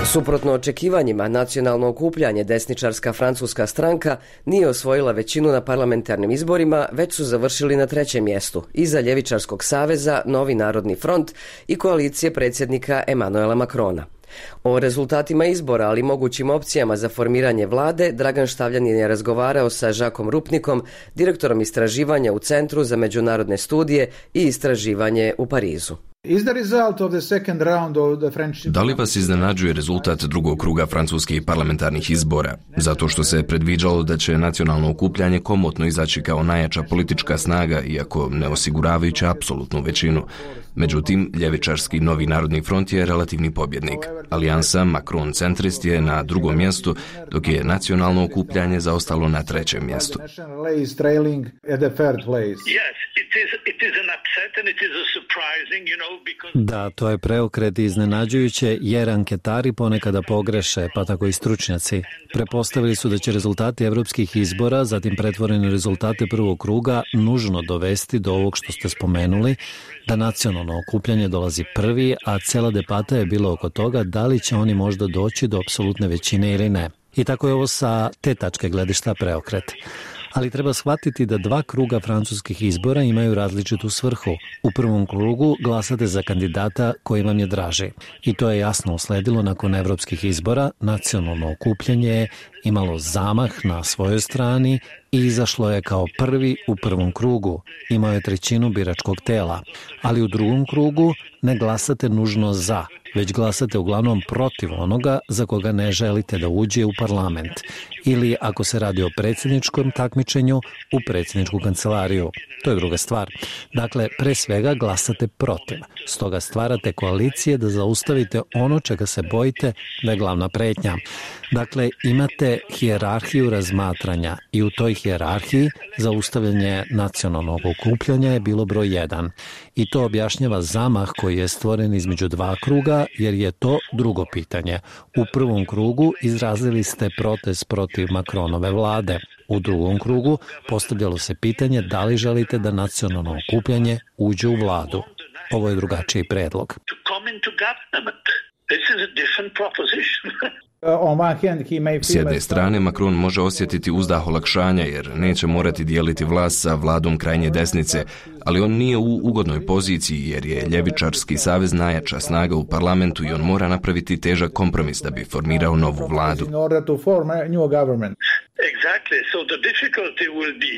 Suprotno očekivanjima, nacionalno okupljanje desničarska francuska stranka nije osvojila većinu na parlamentarnim izborima, već su završili na trećem mjestu, iza Ljevičarskog saveza, Novi narodni front i koalicije predsjednika Emanuela Macrona. O rezultatima izbora, ali mogućim opcijama za formiranje vlade, Dragan Štavljanin je razgovarao sa Žakom Rupnikom, direktorom istraživanja u Centru za međunarodne studije i istraživanje u Parizu. Da li vas iznenađuje rezultat drugog kruga francuskih parlamentarnih izbora? Zato što se predviđalo da će nacionalno okupljanje komotno izaći kao najjača politička snaga, iako ne osiguravajući apsolutnu većinu. Međutim, ljevičarski Novi narodni front je relativni pobjednik. Alijansa Macron-centrist je na drugom mjestu, dok je nacionalno okupljanje zaostalo na trećem mjestu. Da, to je preokret i iznenađujuće, jer anketari ponekada pogreše, pa tako i stručnjaci. Prepostavili su da će rezultati evropskih izbora, zatim pretvoreni rezultate prvog kruga, nužno dovesti do ovog što ste spomenuli, da nacionalno okupljanje dolazi prvi, a cela debata je bila oko toga da li će oni možda doći do apsolutne većine ili ne. I tako je ovo sa te tačke gledišta preokret. Ali treba shvatiti da dva kruga francuskih izbora imaju različitu svrhu. U prvom krugu glasate za kandidata koji vam je draži. I to je jasno usledilo nakon evropskih izbora. Nacionalno okupljanje je imalo zamah na svojoj strani i izašlo je kao prvi u prvom krugu. Imao je trećinu biračkog tela. Ali u drugom krugu ne glasate nužno za, već glasate uglavnom protiv onoga za koga ne želite da uđe u parlament. Ili, ako se radi o predsjedničkom takmičenju, u predsjedničku kancelariju. To je druga stvar. Dakle, pre svega glasate protiv. Stoga stvarate koalicije da zaustavite ono čega se bojite da je glavna pretnja. Dakle, imate hijerarhiju razmatranja i u toj hijerarhiji zaustavljanje nacionalnog okupljanja je bilo broj jedan. I to objašnjava zamah koji je stvoren između dva kruga, jer je to drugo pitanje. U prvom krugu izrazili ste protest protiv Macronove vlade. U drugom krugu postavljalo se pitanje da li želite da nacionalno okupljanje uđe u vladu. Ovo je drugačiji predlog. S jedne strane, Macron može osjetiti uzdah olakšanja jer neće morati dijeliti vlast sa vladom krajnje desnice, ali on nije u ugodnoj poziciji jer je ljevičarski savez najjača snaga u parlamentu i on mora napraviti težak kompromis da bi formirao novu vladu. Exactly. So the difficulty will be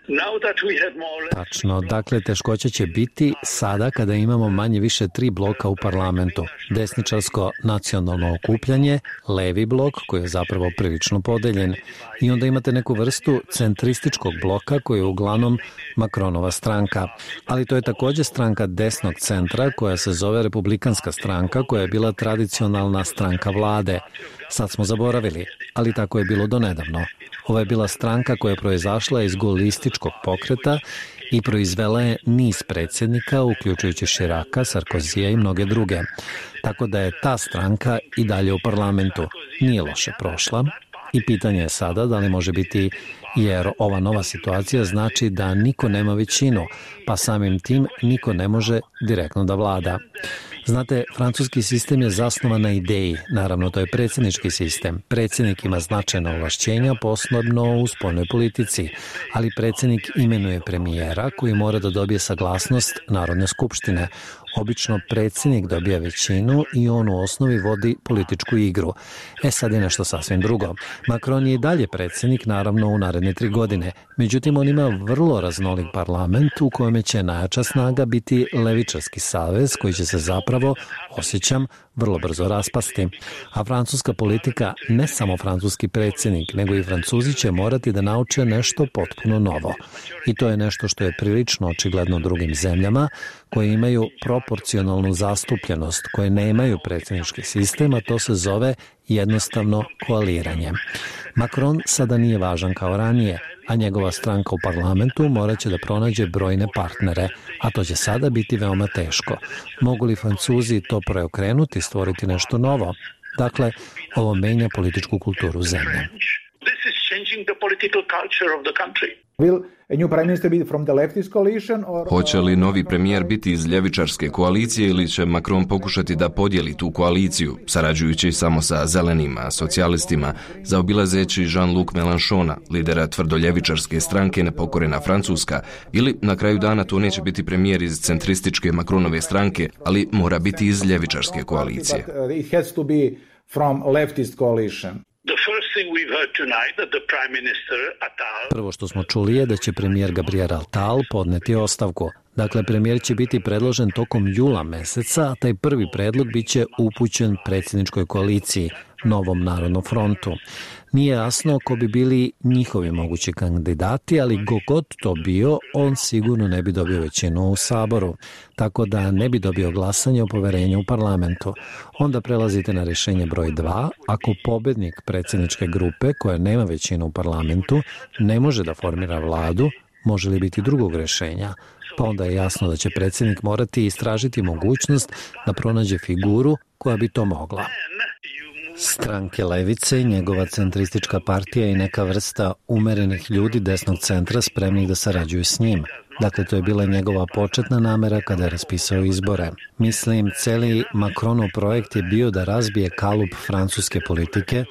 now that we have more... Tačno, dakle teškoća će biti sada kada imamo manje više tri bloka u parlamentu. Desničarsko nacionalno okupljanje, levi blok koji je zapravo prilično podeljen i onda imate neku vrstu centrističkog bloka koji je uglavnom Macronova stranka. Ali to je također stranka desnog centra koja se zove Republikanska stranka koja je bila tradicionalna stranka vlade. Sad smo zaboravili, ali tako je bilo donedavno. Ova je bila stranka koja je proizašla iz gaulističkog pokreta i proizvela je niz predsjednika, uključujući Chiraca, Sarkozija i mnoge druge. Tako da je ta stranka i dalje u parlamentu. Nije loše prošla i pitanje je sada da li može biti, jer ova nova situacija znači da niko nema većinu, pa samim tim niko ne može direktno da vlada. Znate, francuski sistem je zasnovan na ideji, naravno to je predsjednički sistem. Predsjednik ima značajna ovlašćenja, posebno u spoljnoj politici, ali predsjednik imenuje premijera koji mora da dobije saglasnost Narodne skupštine. Obično predsjednik dobija većinu i on u osnovi vodi političku igru. E sad je nešto sasvim drugo. Macron je i dalje predsjednik, naravno u naredne tri godine. Međutim, on ima vrlo raznolik parlament u kojem će najjača snaga biti levičarski savez koji će se zapravo, osjećam, vrlo brzo raspasti. A francuska politika, ne samo francuski predsjednik, nego i Francuzi će morati da nauče nešto potpuno novo. I to je nešto što je prilično očigledno drugim zemljama koje imaju proporcionalnu zastupljenost, koje nemaju predsjednički sistem, a to se zove jednostavno koaliranje. Macron sada nije važan kao ranije, a njegova stranka u parlamentu morat će da pronađe brojne partnere, a to će sada biti veoma teško. Mogu li Francuzi to preokrenuti, stvoriti nešto novo? Dakle, ovo menja političku kulturu zemlje. Hoće li novi premijer biti iz ljevičarske koalicije ili će Macron pokušati da podijeli tu koaliciju, sarađujući samo sa zelenima, socijalistima, zaobilazeći Jean-Luc Mélenchona, lidera tvrdoljevičarske stranke Nepokorena Francuska, ili na kraju dana to neće biti premijer iz centrističke Macronove stranke, ali mora biti iz ljevičarske koalicije. Prvo što smo čuli je da će premijer Gabriel Attal podneti ostavku. Dakle, premijer će biti predložen tokom jula meseca, a taj prvi predlog bit će upućen predsjedničkoj koaliciji, Novom narodnom frontu. Nije jasno ko bi bili njihovi mogući kandidati, ali go god to bio, on sigurno ne bi dobio većinu u Saboru, tako da ne bi dobio glasanje o poverenju u parlamentu. Onda prelazite na rješenje broj dva, ako pobednik predsjedničke grupe, koja nema većinu u parlamentu, ne može da formira vladu, može li biti drugog rješenja? Pa onda je jasno da će predsjednik morati istražiti mogućnost da pronađe figuru koja bi to mogla. Stranke levice, njegova centristička partija i neka vrsta umerenih ljudi desnog centra spremnih da sarađuju s njim. Dakle, to je bila njegova početna namera kada je raspisao izbore. Mislim, celi Macronov projekt je bio da razbije kalup francuske politike,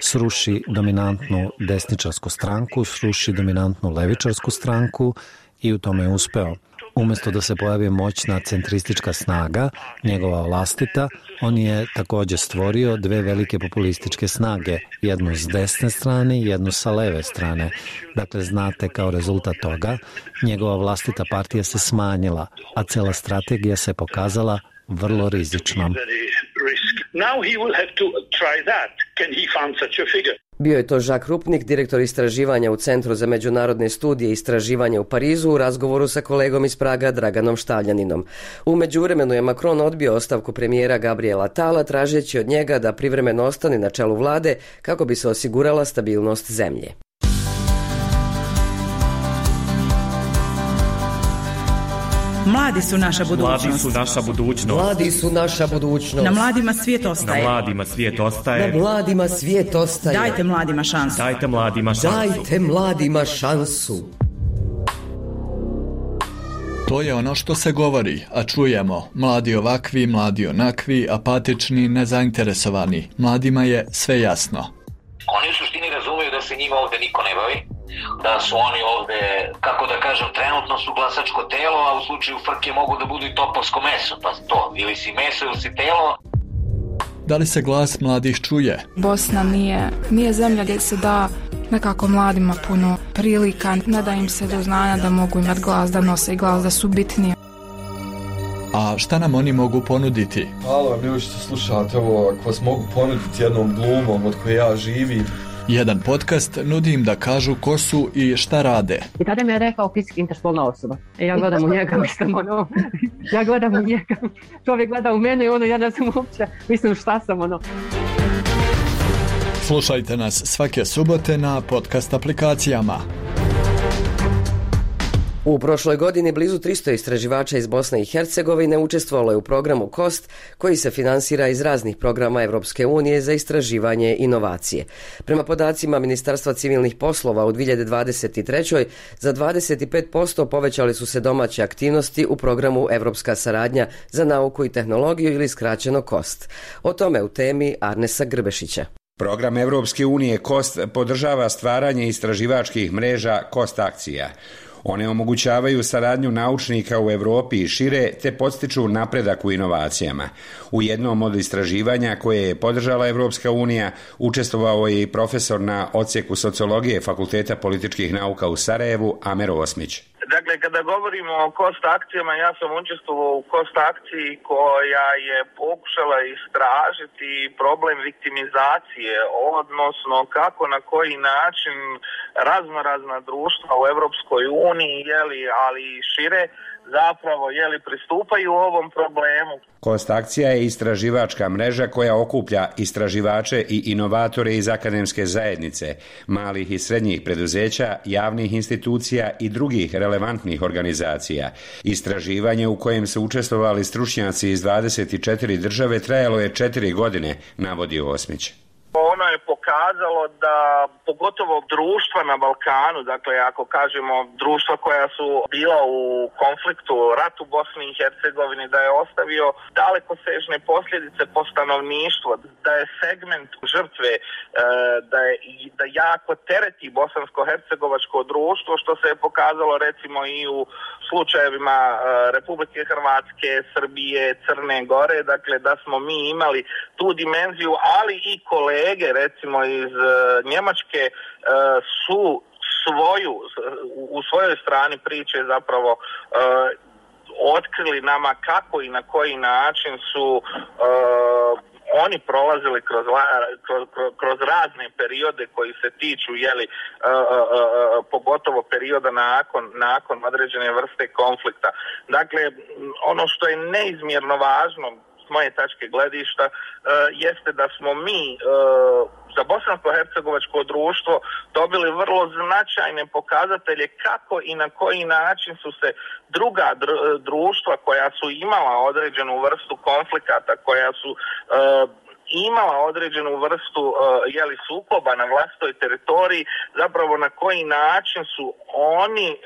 sruši dominantnu desničarsku stranku, sruši dominantnu levičarsku stranku i u tome je uspeo. Umjesto da se pojavi moćna centristička snaga, njegova vlastita, on je također stvorio dve velike populističke snage, jednu s desne strane i jednu sa leve strane. Dakle, znate, kao rezultat toga, njegova vlastita partija se smanjila, a cela strategija se pokazala vrlo rizičnom. Bio je to Jacques Rupnik, direktor istraživanja u Centru za međunarodne studije i istraživanja u Parizu, u razgovoru sa kolegom iz Praga Draganom Štavljaninom. U međuvremenu je Macron odbio ostavku premijera Gabriela Attala, tražeći od njega da privremeno ostane na čelu vlade kako bi se osigurala stabilnost zemlje. Mladi su naša budućnost. Mladi su naša budućnost. Mladi su naša budućnost. Na mladima svijet ostaje. Na mladima svijet ostaje. Na mladima svijet ostaje. Dajte mladima šansu. Dajte mladima šansu. Dajte mladima šansu. To je ono što se govori, a čujemo. Mladi ovakvi, mladi onakvi, apatični, nezainteresovani. Mladima je sve jasno. Oni u suštini razumiju da se njima ovde niko ne bavi, da su oni ovde, kako da kažem, trenutno su glasačko telo, a u slučaju frke mogu da budu i topovsko meso, pa to, ili si meso ili si telo. Da li se glas mladih čuje? Bosna nije, nije zemlja gdje se da nekako mladima puno prilika, ne da im se do znanja da mogu imati glas, da nose glas, da su bitnije. A šta nam oni mogu ponuditi? Hvala vam ljudi što slušate ovo, ako vas mogu ponuditi jednom glumom od koje ja živim. Jedan podcast nudi im da kažu ko su i šta rade. I tada mi je rekao fizički interspolna osoba. E ja gledam u njega, mislim ono, ja gledam u njega, čovjek gleda u mene i ono, ja ne znam uopće, mislim šta sam ono. Slušajte nas svake subote na podcast aplikacijama. U prošloj godini blizu tristo istraživača iz Bosne i Hercegovine učestvovalo je u programu KOST, koji se finansira iz raznih programa Europske unije za istraživanje i inovacije. Prema podacima Ministarstva civilnih poslova u dvije hiljade dvadeset trećoj za dvadeset pet posto povećali su se domaće aktivnosti u programu Europska saradnja za nauku i tehnologiju ili skraćeno KOST. O tome u temi Arnesa Grbešića. Program Europske unije KOST podržava stvaranje istraživačkih mreža KOST akcija. One omogućavaju saradnju naučnika u Europi i šire te podstiču napredak u inovacijama. U jednom od istraživanja koje je podržala Europska unija učestvovao je i profesor na odsjeku sociologije Fakulteta političkih nauka u Sarajevu, Amer Osmić. Dakle, kada govorimo o KOST akcijama, ja sam učestvovao u KOST akciji koja je pokušala istražiti problem viktimizacije, odnosno kako na koji način raznorazna društva u Europskoj uniji, jeli, ali i šire, zapravo jeli, pristupaju ovom problemu. KOST akcija je istraživačka mreža koja okuplja istraživače i inovatore iz akademske zajednice, malih i srednjih preduzeća, javnih institucija i drugih relevantnih organizacija. Istraživanje u kojem su učestvovali stručnjaci iz dvadeset četiri države trajalo je četiri godine, navodi Osmić. Ono je pokazalo da pogotovo društva na Balkanu, dakle ako kažemo društva koja su bila u konfliktu, ratu u Bosni i Hercegovini, da je ostavio dalekosežne posljedice po stanovništvo, da je segment žrtve, da je da jako tereti bosansko-hercegovačko društvo, što se je pokazalo recimo i u slučajevima Republike Hrvatske, Srbije, Crne Gore, dakle da smo mi imali tu dimenziju, ali i kolege recimo iz Njemačke su svoju, u svojoj strani priče zapravo otkrili nama kako i na koji način su oni prolazili kroz, kroz, kroz razne periode koji se tiču, jeli, uh, uh, uh, pogotovo perioda nakon, nakon određene vrste konflikta. Dakle, ono što je neizmjerno važno s moje tačke gledišta uh, jeste da smo mi uh, za bosansko-hercegovačko društvo dobili vrlo značajne pokazatelje kako i na koji način su se druga društva koja su imala određenu vrstu konflikata, koja su uh, imala određenu vrstu uh, jeli, sukoba na vlastitoj teritoriji, zapravo na koji način su oni uh,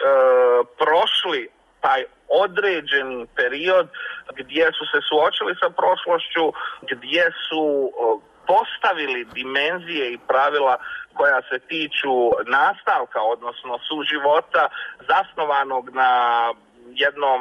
prošli taj određeni period gdje su se suočili sa prošlošću, gdje su uh, postavili dimenzije i pravila koja se tiču nastavka, odnosno suživota zasnovanog na jednom,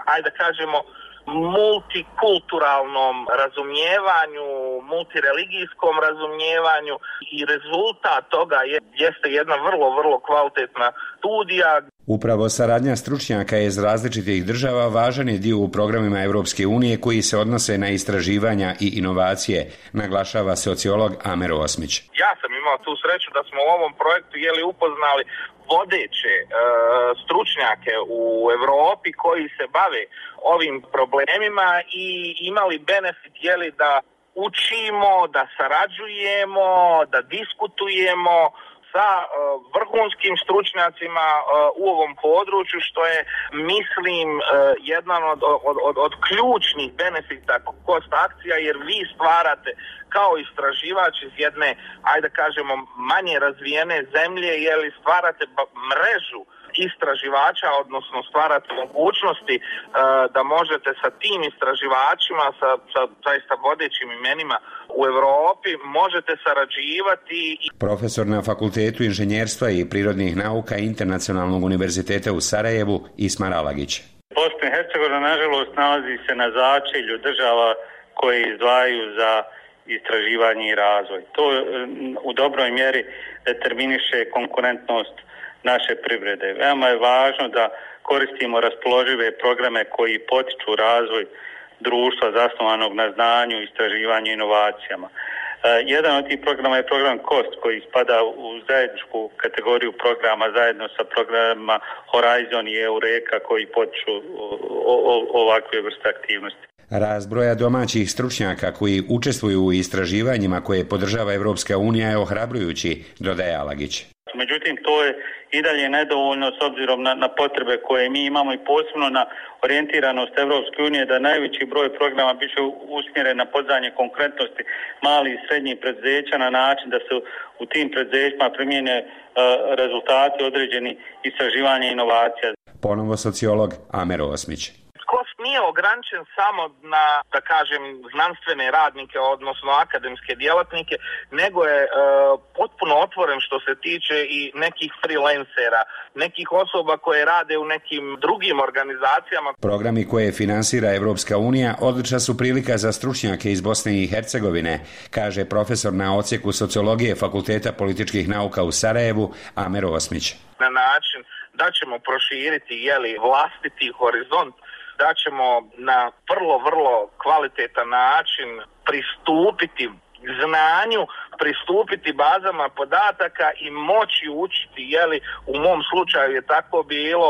ajde kažemo, multikulturalnom razumijevanju, multireligijskom razumijevanju i rezultat toga je, jeste jedna vrlo, vrlo kvalitetna studija. Upravo saradnja stručnjaka iz različitih država važan je dio u programima Europske unije koji se odnose na istraživanja i inovacije, naglašava sociolog Amer Osmić. Ja sam imao tu sreću da smo u ovom projektu jeli upoznali vodeće e, stručnjake u Europi koji se bave ovim problemima i imali benefit jeli da učimo, da sarađujemo, da diskutujemo sa uh, vrhunskim stručnjacima uh, u ovom području, što je, mislim, uh, jedan od, od, od, od ključnih benefita KOST akcija, jer vi stvarate kao istraživač iz jedne, ajde kažemo, manje razvijene zemlje, jeli stvarate mrežu istraživača, odnosno stvarate mogućnosti uh, da možete sa tim istraživačima, sa, sa zaista vodećim imenima u Europi, možete sarađivati. Profesor na Fakultetu inženjerstva i prirodnih nauka Internacionalnog univerziteta u Sarajevu, Ismar Alagić. Bosna i Hercegovina nažalost nalazi se na začelju država koje izdvajaju za istraživanje i razvoj. To u dobroj mjeri determiniše konkurentnost naše privrede. Veoma je važno da koristimo raspoložive programe koji potiču razvoj društva zasnovanog na znanju, istraživanju i inovacijama. Jedan od tih programa je program KOST koji spada u zajedničku kategoriju programa zajedno sa programima Horizon i Eureka koji potiču ovakve vrste aktivnosti. Rast broja domaćih stručnjaka koji učestvuju u istraživanjima koje podržava Evropska unija je ohrabrujući, dodaje Alagić. Međutim, to je i dalje nedovoljno s obzirom na, na potrebe koje mi imamo i posebno na orijentiranost Evropske unije da najveći broj programa biće usmjeren na podizanje konkurentnosti malih i srednjih preduzeća na način da se u tim preduzećima primijene uh, rezultati određeni istraživanja i inovacija. Ponovo sociolog Amer Osmić. KOST nije ograničen samo na, da kažem, znanstvene radnike, odnosno akademske djelatnike, nego je e, potpuno otvoren što se tiče i nekih freelancera, nekih osoba koje rade u nekim drugim organizacijama. Programi koje finansira Evropska unija odlična su prilika za stručnjake iz Bosne i Hercegovine, kaže profesor na odsjeku sociologije Fakulteta političkih nauka u Sarajevu Amer Osmić. Na način da ćemo proširiti jeli, vlastiti horizont, da ćemo na vrlo, vrlo kvalitetan način pristupiti znanju, pristupiti bazama podataka i moći učiti, jeli u mom slučaju je tako bilo,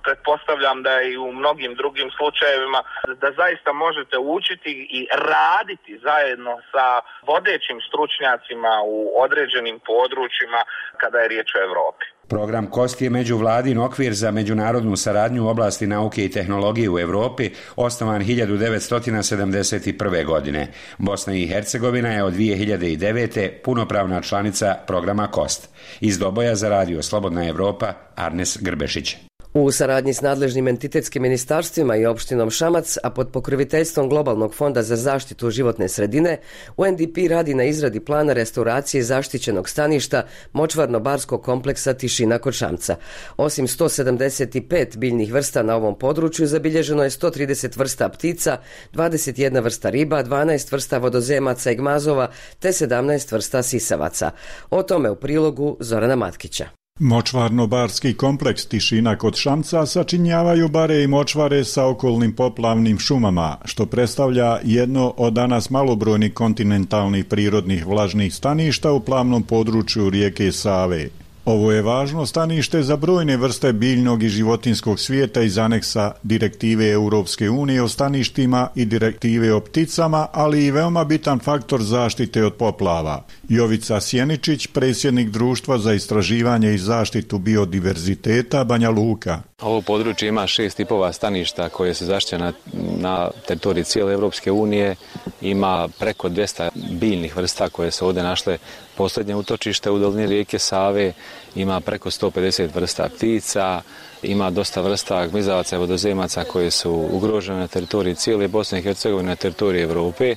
pretpostavljam da i u mnogim drugim slučajevima, da zaista možete učiti i raditi zajedno sa vodećim stručnjacima u određenim područjima kada je riječ o Europi. Program KOST je međuvladin okvir za međunarodnu saradnju u oblasti nauke i tehnologije u Europi, osnovan hiljadu devetsto sedamdeset prve. godine. Bosna i Hercegovina je od dvije hiljade devete. punopravna članica programa KOST. Iz Doboja za radio Slobodna Evropa, Arnes Grbešić. U saradnji s nadležnim entitetskim ministarstvima i opštinom Šamac, a pod pokroviteljstvom Globalnog fonda za zaštitu životne sredine, U N D P radi na izradi plana restauracije zaštićenog staništa močvarno-barskog kompleksa Tišina kod Šamca. Osim sto sedamdeset pet biljnih vrsta na ovom području, zabilježeno je sto trideset vrsta ptica, dvadeset jedna vrsta riba, dvanaest vrsta vodozemaca i gmazova, te sedamnaest vrsta sisavaca. O tome u prilogu Zorana Matkića. Močvarno-barski kompleks Tišina kod Šamca sačinjavaju bare i močvare sa okolnim poplavnim šumama, što predstavlja jedno od danas malobrojnih kontinentalnih prirodnih vlažnih staništa u plavnom području rijeke Save. Ovo je važno stanište za brojne vrste biljnog i životinskog svijeta iz aneksa Direktive Europske unije o staništima i Direktive o pticama, ali i veoma bitan faktor zaštite od poplava. Jovica Sjeničić, predsjednik Društva za istraživanje i zaštitu biodiverziteta Banja Luka. Ovo područje ima šest tipova staništa koje se zaštićena na teritoriji cijele Europske unije. Ima preko dvjesto biljnih vrsta koje se ovdje našle posljednje utočište u dolini rijeke Save. Ima preko sto pedeset vrsta ptica, ima dosta vrsta gmizavaca i vodozemaca koje su ugrožene na teritoriji cijele Bosne i Hercegovine, na teritoriji Europe,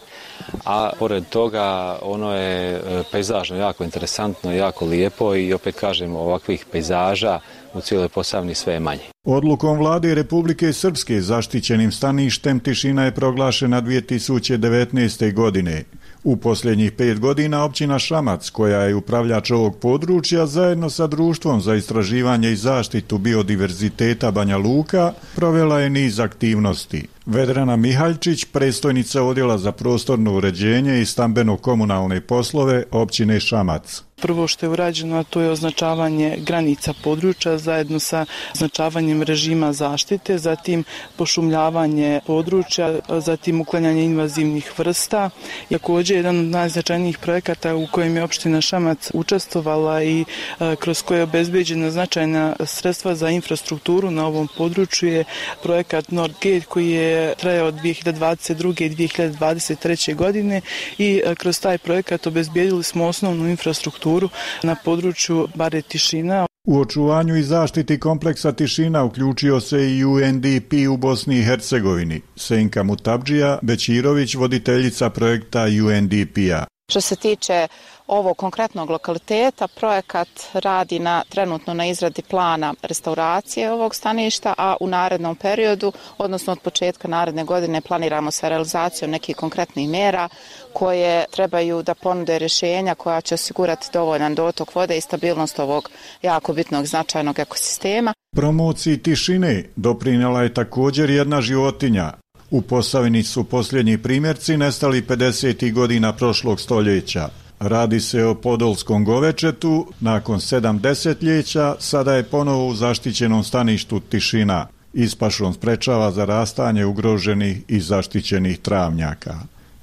a pored toga ono je pejzažno jako interesantno, jako lijepo i opet kažem ovakvih pejzaža u cijeloj Posavini sve je manje. Odlukom vlade Republike Srpske zaštićenim staništem Tišina je proglašena dvije tisuće devetnaeste. godine. U posljednjih pet godina općina Šamac, koja je upravljač ovog područja, zajedno sa Društvom za istraživanje i zaštitu biodiverziteta Banja Luka, provela je niz aktivnosti. Vedrana Mihaljčić, predstojnica Odjela za prostorno uređenje i stambeno-komunalne poslove općine Šamac. Prvo što je urađeno, a to je označavanje granica područja zajedno sa označavanjem režima zaštite, zatim pošumljavanje područja, zatim uklanjanje invazivnih vrsta. Također jedan od najznačajnijih projekata u kojem je opština Šamac učestvovala i a, kroz koje je obezbeđena značajna sredstva za infrastrukturu na ovom području je projekat Nordgate koji je trajao od dvije hiljade dvadeset druge. i dvije hiljade dvadeset treće. godine i a, kroz taj projekat obezbedili smo osnovnu infrastrukturu na području bare Tišina. U očuvanju i zaštiti kompleksa Tišina uključio se i U N D P u Bosni i Hercegovini. Senka Mutabdžija Bećirović, voditeljica projekta U N D P-a. Što se tiče ovog konkretnog lokaliteta, projekat radi na, trenutno na izradi plana restauracije ovog staništa, a u narednom periodu, odnosno od početka naredne godine, planiramo sa realizacijom nekih konkretnih mjera koje trebaju da ponude rješenja koja će osigurati dovoljan dotok vode i stabilnost ovog jako bitnog značajnog ekosistema. Promociji tišine doprinijela je također jedna životinja. U Posavini su posljednji primjerci nestali pedesetih godina prošlog stoljeća. Radi se o podolskom govečetu, nakon sedam desetljeća sada je ponovo u zaštićenom staništu tišina. Ispašom sprečava zarastanje ugroženih i zaštićenih travnjaka.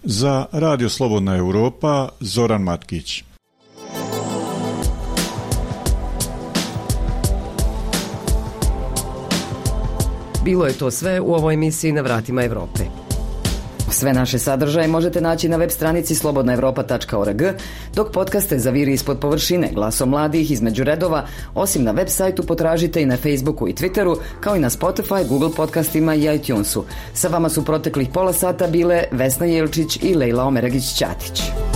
Za Radio Slobodna Europa, Zoran Matkić. Bilo je to sve u ovoj emisiji Na vratima Europe. Sve naše sadržaje možete naći na web stranici slobodna europa tačka org, dok podcaste Zaviri ispod površine, Glasom mladih između redova, osim na web sajtu potražite i na Facebooku i Twitteru, kao i na Spotify, Google podcastima i iTunesu. Sa vama su proteklih pola sata bile Vesna Jelčić i Lejla Omeragić-Ćatić.